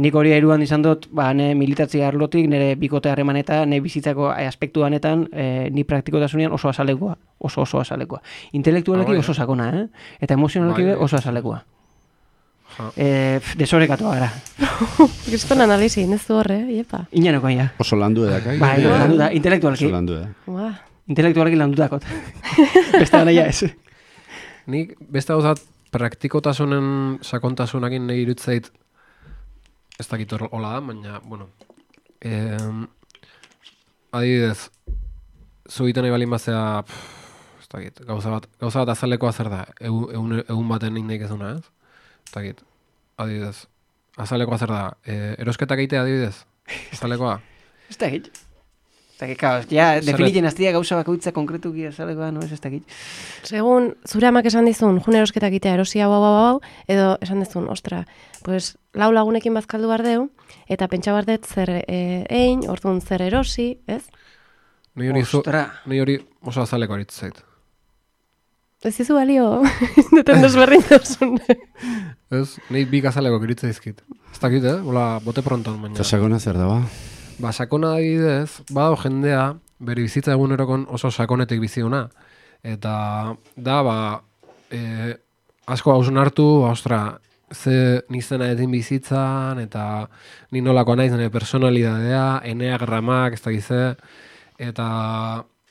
Nik hori eruan izan dut, ne militatzia arlotik, nire bikote harremaneta, nire bizitzako aspektu hanetan, ni praktikotasunean oso azalekoa. Oso azalekoa. Intelektualeki oso sakona, eta emozionalki oso azalekoa. Desorekatua gara. Kriston analizi, nezu horre, iepa. Inaneko, ja. oso landu edakak. Bai, landu da, intelektualki. Oso landu eda. Intelektualki landu dakot. Beste gana ja ez. Nik beste gauzat praktikotasunen sakontasunakin nahi irutzeit ez dakit hola da, baina, bueno, adibidez, zugiten nahi balin bazea, ez dakit, gauza bat azalekoa zer da, egun baten nik ezuna, ez? Ez dakit, adibidez, azalekoa zer da, erosketak egitea adibidez, azalekoa? Ez dakit. Ja, definitzen aztia gauza bakoitza konkretuki azalekoa, no ez dakit. Segun, zure amak esan dizun, jun erosketak itea erosi hau, edo esan dizun, ostra, pues, lau lagunekin bazkaldu bardeu, eta pentsa bardet zer egin, orduan zer erosi, ez? Ni hori oso azaleko aritu zait. Ez izu balio, duten desberrin dozun. Ez, nahi bik azaleko iritza izkit. Ez dakit, hola, bote pronton, baina. Eta sakona zer da, ba? Ba, sakona adibidez, badao jendea, bere bizitza egunerokon oso sakonetik biziuna. Eta da, asko hausun hartu, ostra, ze nizena edin bizitzan, eta ni nolako naiz nire personalidadea, eneagramak, ez dakize, eta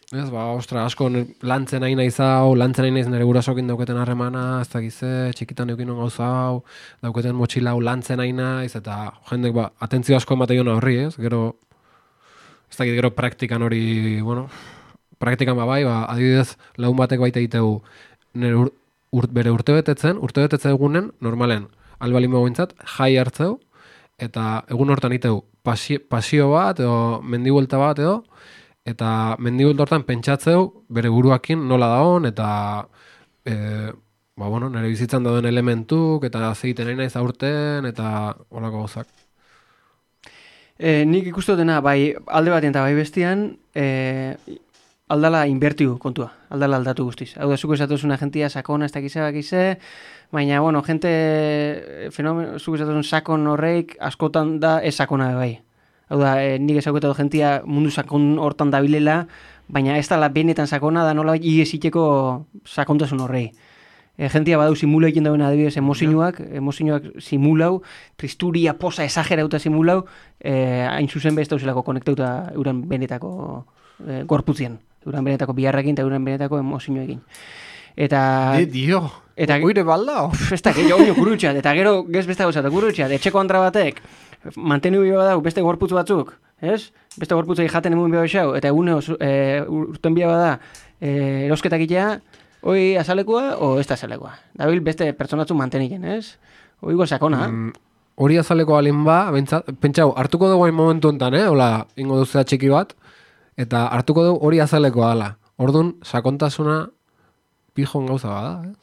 ez, ostra, asko lantzen nahi naiz hau, lantzen nahi naiz nire gurasokin dauketen harremana, ez dakize, txikitan eukin gauza hau, dauketen motxila hau lantzen nahi naiz, eta jendek, atentzio asko ematen horri, ez, gero, ez dakit, gero praktikan hori, bueno, praktikan bai, adibidez, lagun batek baita egitegu, nire bere urtebetetzen egunen, normalen, albalin begointzat, jai hartzeu, eta egun hortan iteu pasio bat, edo mendibuelta bat, edo, eta mendibuelta hortan pentsatzeu, bere buruakin nola daon, eta, nire bizitzan dauden elementuk, eta zegiten nahi naiz aurten, eta holako gauzak. Nik ikustu dena, bai alde batean eta bai bestian, aldala inbertiu kontua, aldala aldatu guztiz. Hau da, zuko esatuzun agentia sakona ez dakize bakize, baina, bueno, zuko esatuzun sakon horreik askotan da ez sakona bai. Hau da, nik ezagutatu gentia mundu sakon hortan dabilela, baina ez dala benetan sakona da nola igeziteko sakontasun horrei. Gentia badau simula egin dauen adibidez emozioak simulau, tristuria, posa, esagerauta simulau, hain zuzen behaz dauzelako konektauta euren benetako gorputzien, euren benetako biharrekin eta euren benetako emozioekin. Eta... Dio, oire balda? Ez da, oino kurutxat, eta gero gez beste gauzat, kurutxat, etxeko andra batek, mantenu bio badau beste gorputz batzuk, ez? Beste gorputzei jaten emun bio esau, eta egune urten bio bada erosketak itea, hoi azalekua, o ez da azalekua. Dabil beste pertsonatzu manteniken, ez? Hoi go sakona. Hori azaleko alin ba, pentsau, hartuko dugu hain momentu enten, hola, ingo duzea txiki bat, eta hartuko dugu hori azalekoa dela. Orduan, sakontasuna pijon gauza bada, ez?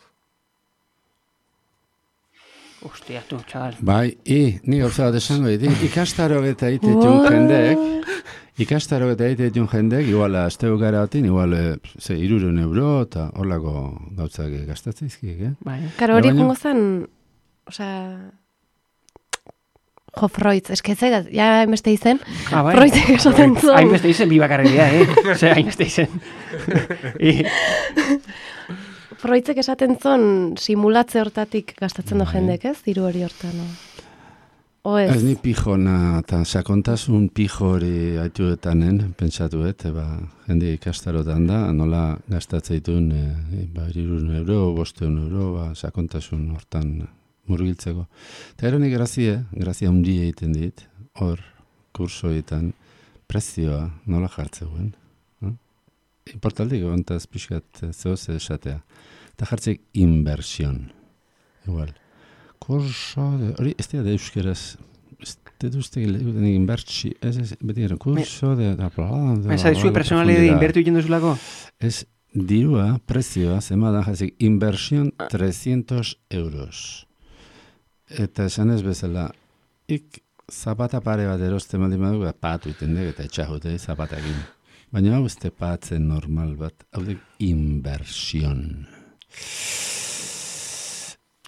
Ostia, tu, txabal. Bai, ni gauza bat esango dit, ikastaro eta iteitun jendeek, Ikastaro eta egiten jendek, igual, asteo gara batin, igual, 300 euro, eta horlako gautzak gastatzeizkiek, Bai. Karo, hori Baina- jungo zen, osea, jo, Freud, esketzaigat, ja hainbeste izen, Bai. Freudek esaten zuen. Hainbeste izen, bi bakarrik dira, Ose, hainbeste izen. Freudek esaten zuen simulatze hortatik gastatzen do Bai. jendek, ez? Diru hori hortan, no? O ez? Ez ni pijona, eta sakontasun pijo hori haituetanen, pentsatuet, jende ikastarotan da, nola gastatzeitun, 200 euro, 500 euro, sakontasun hortan murgiltzeko. Eta eronik grazia hundi egiten dit, hor, kursoetan, prezioa nola jartzeuen. Importantik, ontaz pixkat zehoz esatea. Eta jartzek inversión. Igual. Kurso, hori, ez da euskeraz, ez dut uste inbertsi, ez, beti gara, kurso de... Esa de zue personalidade inbertu egiten duzulako? Ez dirua, prezioa, zemadan jazik, inversión 300 euros. Eta esan ez bezala, zapata pare bat eroste maldin badu, patu iten dek, eta etxahute zapatakin. Baina hau ez patzen normal bat, hau dek inversión.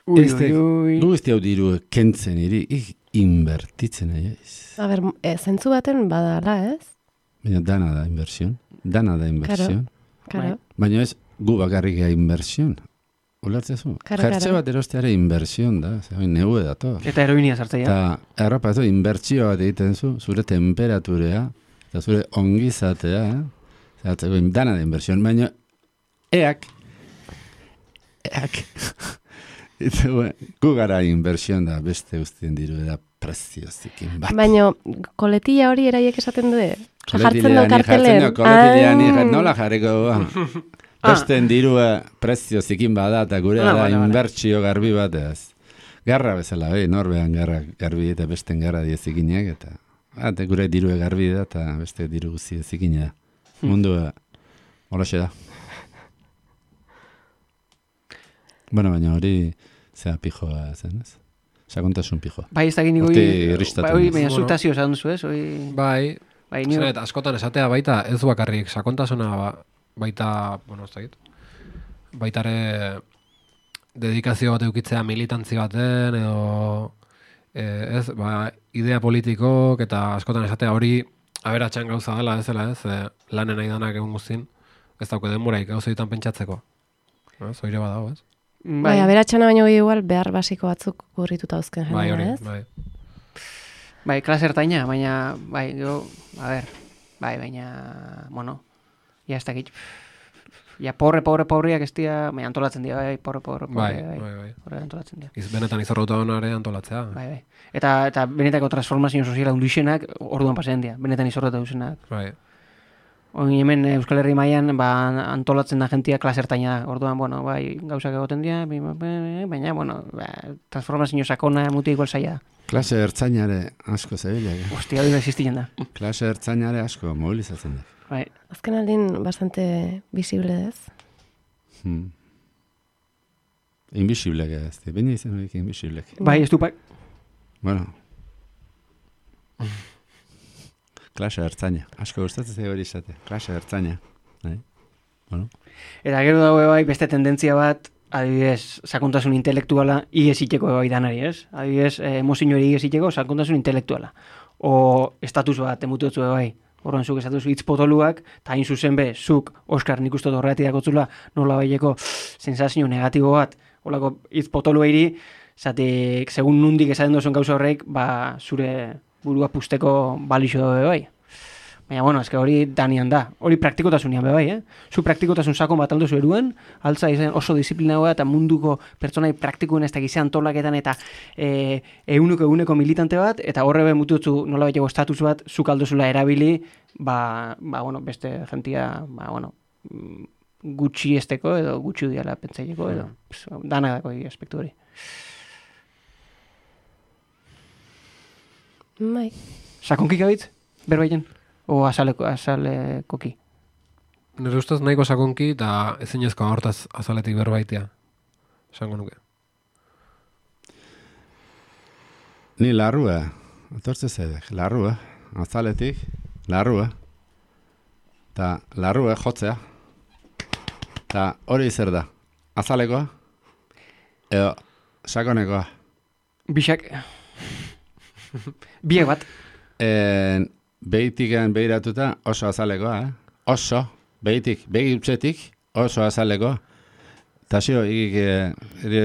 Ui. Gu ez hau diru kentzen iri, inbertitzen aiz. A ber, zentzu baten badala, ez? Baina dana da inversión. Karo. Baina ez gu bakarrik inversión. Ulertzezu? Jertxe bat erosteare inversión da, neue dator. Eta heroinia sartzea. Eta errapa ez inbertsio bat egiten zu, zure temperaturea, eta zure ongizatea, dana da inversión, baina eak, gu gara inversión da beste guztien diru da preziozikin bat. Baina koletilla hori eraiek esaten du, jartzen du kartelen. Koletilla nola jarriko besten dirua preziozikin bada, eta gure da inbertsio garbi bat ez. Garra bezala, norbean garbi eta besten garra diezikinak, eta gure dirue garbi da, eta beste diru guzi ezikina da. Mundua, holaxe da. Bueno, baina hori zea pijoa zen, ez? Sakontasun pijoa. Bai, ez da gini baina zutazio esan duzu, ez? Bai, zenet, askotan esatea baita, ez bakarrik sakontasuna baita, bueno, ez dakit, baitare dedikazio bat eukitzea militantzi baten, edo, ez, idea politikok, eta askotan esatea hori aberatxan gauza dela, ez dela, ez, lanen nahi danak egun guztin, ez dauke denboraik gauza ditan pentsatzeko. Zoire badago, ez? Bai, aberatxana baino igual behar basiko batzuk gurrituta dauzken jendea, ez? Bai. Bai, klase ertaina, baina, bai, baina, bueno, ja ez dakit, ja porreak ez dira, baina antolatzen dira, bai, porre, bai, antolatzen dira. Benetan izorrauta honare antolatzea. Bai. Eta benetako transformazio soziala undixenak orduan pasean dira, benetan izorrauta duzenak. Bai. Oin hemen Euskal Herri mailan antolatzen da jentia klase ertaina da. Orduan, bueno, bai, gauzak egoten dira, baina, bueno, transformazio sakona muti igual zaila da. Klase ertzainare asko zebilak. Hostia, hori da existien da. Klase ertzainare asko mobilizatzen da. Bai. Azken aldin bastante visible ez. Invisiblek ez, baina izan horiek invisiblek. Bai, ez du, bai. Bueno. Klase ertzaina. Asko gustatzen hori izate. Klase ertzaina. Bueno. Eta gero dago bai beste tendentzia bat, adibidez, sakontasun intelektuala igesiteko bai danari, ez? Adibidez, emozio hori igesiteko sakontasun intelektuala. O estatus bat emututzu bai. Horren zuk esatuzu hitz potoluak, eta hain zuzen be, zuk, Oskar, nik uste horregatik dakotzula, nola baieko sensazio negatibo bat, holako hitz potolu eiri, zatek, segun nundik esaten duzuen gauza horrek, zure burua pusteko balixo dabe bai. Baina, bueno, eske hori danian da. Hori praktikotasunean be bai, Zu praktikotasun sakon bat aldozu eruan, altza izan oso disiplinagoa eta munduko pertsonai praktikoen ez da gizan antolaketan eta eguneko militante bat, eta horre be mututzu nola baiteko estatus bat, zuk aldozula erabili, bueno, beste jentia, bueno, gutxi esteko edo gutxi udiala pentsaileko edo, dana dako aspektu hori. Bai. Sakonkik abitz, berbaiten? O azalekoki? Nire ustez nahiko sakonki eta ezinezko hortaz azaletik berbaitea. Esango nuke. Ni larrua, atortze zedek, larrua, azaletik, larrua. Ta larrua jotzea. Ta hori zer da? Azalekoa? Edo sakonekoa? Bixak. Biek bat. Behitikan behiratuta oso azalekoa, Oso, begi utzetik oso azalekoa. Ta xio,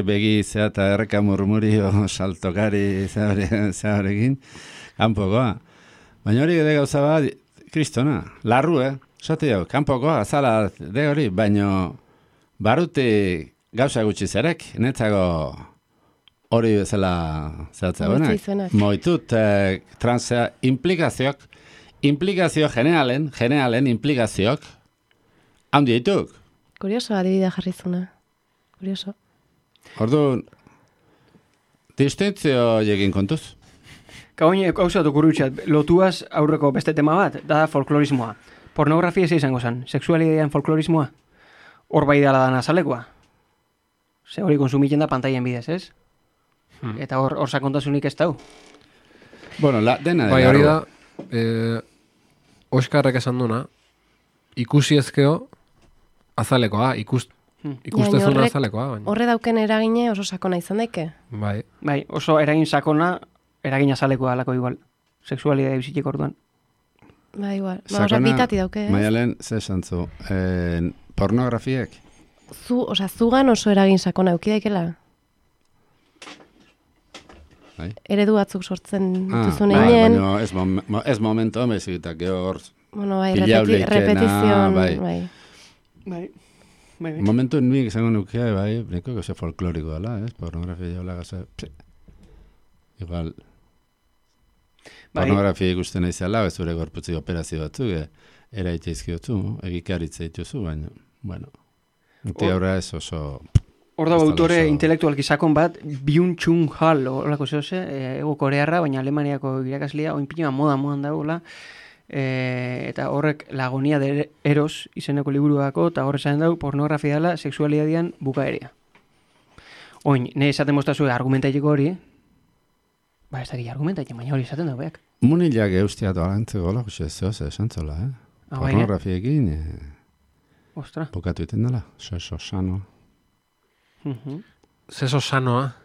begi zea eta erreka murmurio saltokari zearekin, kanpokoa. Baina hori de gauza bat, kristona, larru, Zate jau, kanpokoa, azala de hori, baina baruti gauza gutxi zerek, netzako hori bezala zehatzegoenak. Moitut, transea, implikazio generalen implikazioak, handi dituk. Kurioso, adibidea jarrizuna. Kurioso. Orduan, distintzio egin kontuz. Kagoin, hausatu kurutxat, lotuaz aurreko beste tema bat, da folklorismoa. Pornografia ez izango zen, sexualidean folklorismoa. Hor bai dala dan azalekoa. Ze hori konsumiten da pantaien bidez, ez? Eta hor sakontasunik ez dau. Bueno, dena bai, hori da, Oskarrek esan duna, ikusi ezkeo azalekoa, ikustezuna azalekoa. Horre dauken eragine oso sakona izan daike? Bai, oso eragin sakona, eragin azalekoa alako igual. Sexualidea bizitik orduan. Ba, igual. Ba, bitati dauke, Maialen, ze esantzu, pornografiek? Zugan oso eragin sakona eukidaikela? Bai. Eredu batzuk sortzen duzun egin. Baina ez momento, mezitak hor... Bueno, bai, repetizion, bai. Momentu nik izango nukea, bai, neko que folkloriko dela, pornografia jaula gaza... Igual... Pornografia ikusten izala, ez zure gorputzi operazio batzuk, eraite izkiotzu, egikaritza dituzu, baina, bueno, aurra ez oso... Hor da autore intelektualki sakon bat, Byung-Chun Hall, horako zehose, ego korearra, baina Alemaniako irakaslea, oin pinima modan dagoela, eta horrek Lagonia de Eros izeneko liburuako, eta horre zaten dau, pornografia dela, sexualidadian bukaerea. Oin, ne esaten mostazue argumentaileko hori, ba, ez dakit argumentaile, baina hori esaten dagoeak. Munilak eustiatu alantzeko gola, zehoz, esantzola, pornografiekin, ostra. Bukatu iten dela, seso sano. Seso sanoa,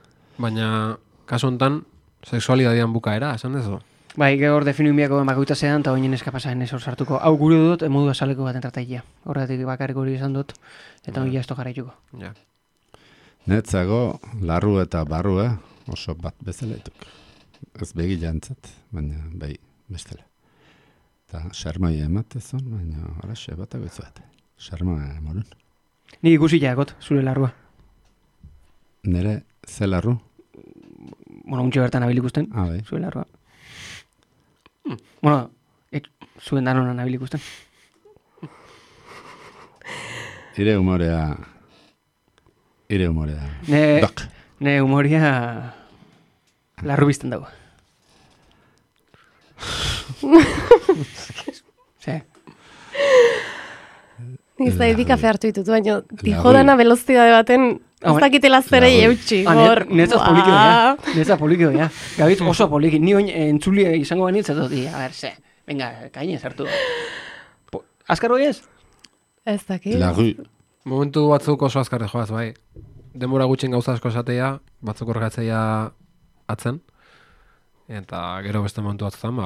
baina kasu honetan, sexualidadian bukaera, esan dezu? Bai, gehor definuimiako emakoita zean, eta oinen eskapasaen ez hor sartuko. Hau gure dut, modu azaleko bat entratailea. Horretik bakarrik hori izan dut, eta hori esto jarraituko. Ja. Netzago, larru eta barru, oso bat bezaletuk. Ez begi jantzat, baina bai bestela. Eta xarmai ematezon, baina horaxe batako izuat. Xarmai emorun. Nik ikusi jagot, zure larrua. Nere, ze larru? Bueno, untxe bertan nabil ikusten, bai. zure larrua. Bueno, zuen danona nabil ikusten. Ire humorea... Dok. Ne humoria... Larru bizten dago. Ze. Nik ez da edi kafe hartu ditut, baina dijodana velozidade baten ez dakitela zerei eutxi. Netza polikio, ja. Gabitz oso poliki. Ni oin entzuli izango banitz, ez dut, a ber, ze. Venga, kainez hartu. Azkar hori ez? Ez dakit. Momentu batzuk oso azkarre joaz, bai. Denbora gutxen gauza asko esatea, batzuk horregatzea atzen, eta gero beste momentu batzutan,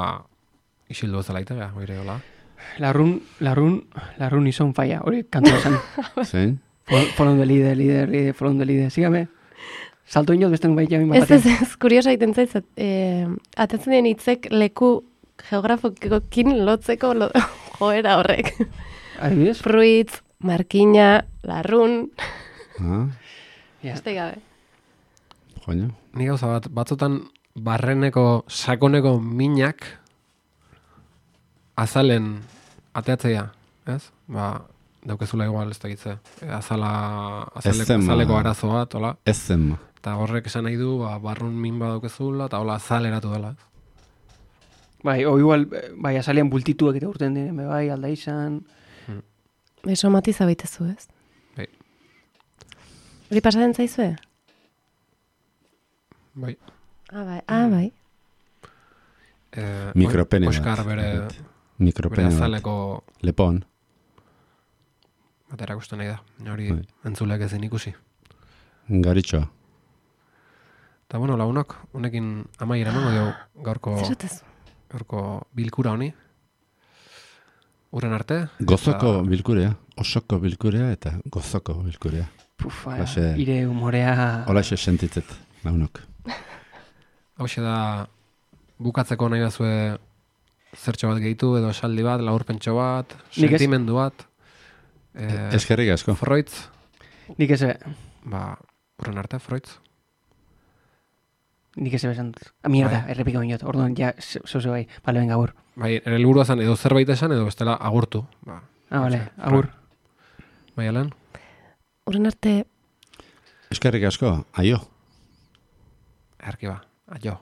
isildu ez dela itea, oire hola. Larrun izan falla, hori kantua zen. Zein? Follow the leader, sígame. Salto inot beste nubait jamin bat. Ez, kuriosa egiten zaiz, atetzen den hitzek leku geografokin lotzeko joera horrek. Adibidez? Fruitz, markina, larrun. Este gabe. Joño. Ni gauza batzutan barreneko, sakoneko minak azalen ateatzea, ez? Daukezula igual ez dakitze. Azaleko arazoa, tola. Ez zen. Eta horrek esan nahi du, barrun min badaukezula, eta hola azaleratu dela. Bai, o igual, bai, azalean bultituak eta urten diren, bai, alda izan. Somatiza baitezu, ez? Bai. Hori pasatzen zaizue? Bai. Bai. Mikropene Oskar bere... Mikropene bat. azaleko Lepon. bat erakusten nahi da. Hori Bai. entzuleak ezin ikusi. Garitxoa. Eta bueno, lagunok, honekin amaiera emango dio gaurko bilkura honi. Urren arte. Gozoko eta bilkurea, osoko bilkurea eta gozoko bilkurea. Pufa, Holaxe- ire humorea... Holaxe sentitzet, launok. hauxe da bukatzeko nahi bazue zertxo bat gehitu edo esaldi bat, laburpentxo bat, Nik ez. sentimendu bat. Eskerrik asko. Freudz, Nik ez urren arte, Freudz. Nik ez esan dut. Mierda, Bai. errepiko minut. Orduan, ja, zoze bai. Bale, venga, agur. Bai, ere helburua zen edo zerbait esan edo bestela agurtu. Bale, agur. Bai, Alen? Urren arte, Eskerrik asko, aio. Erki ba, aio.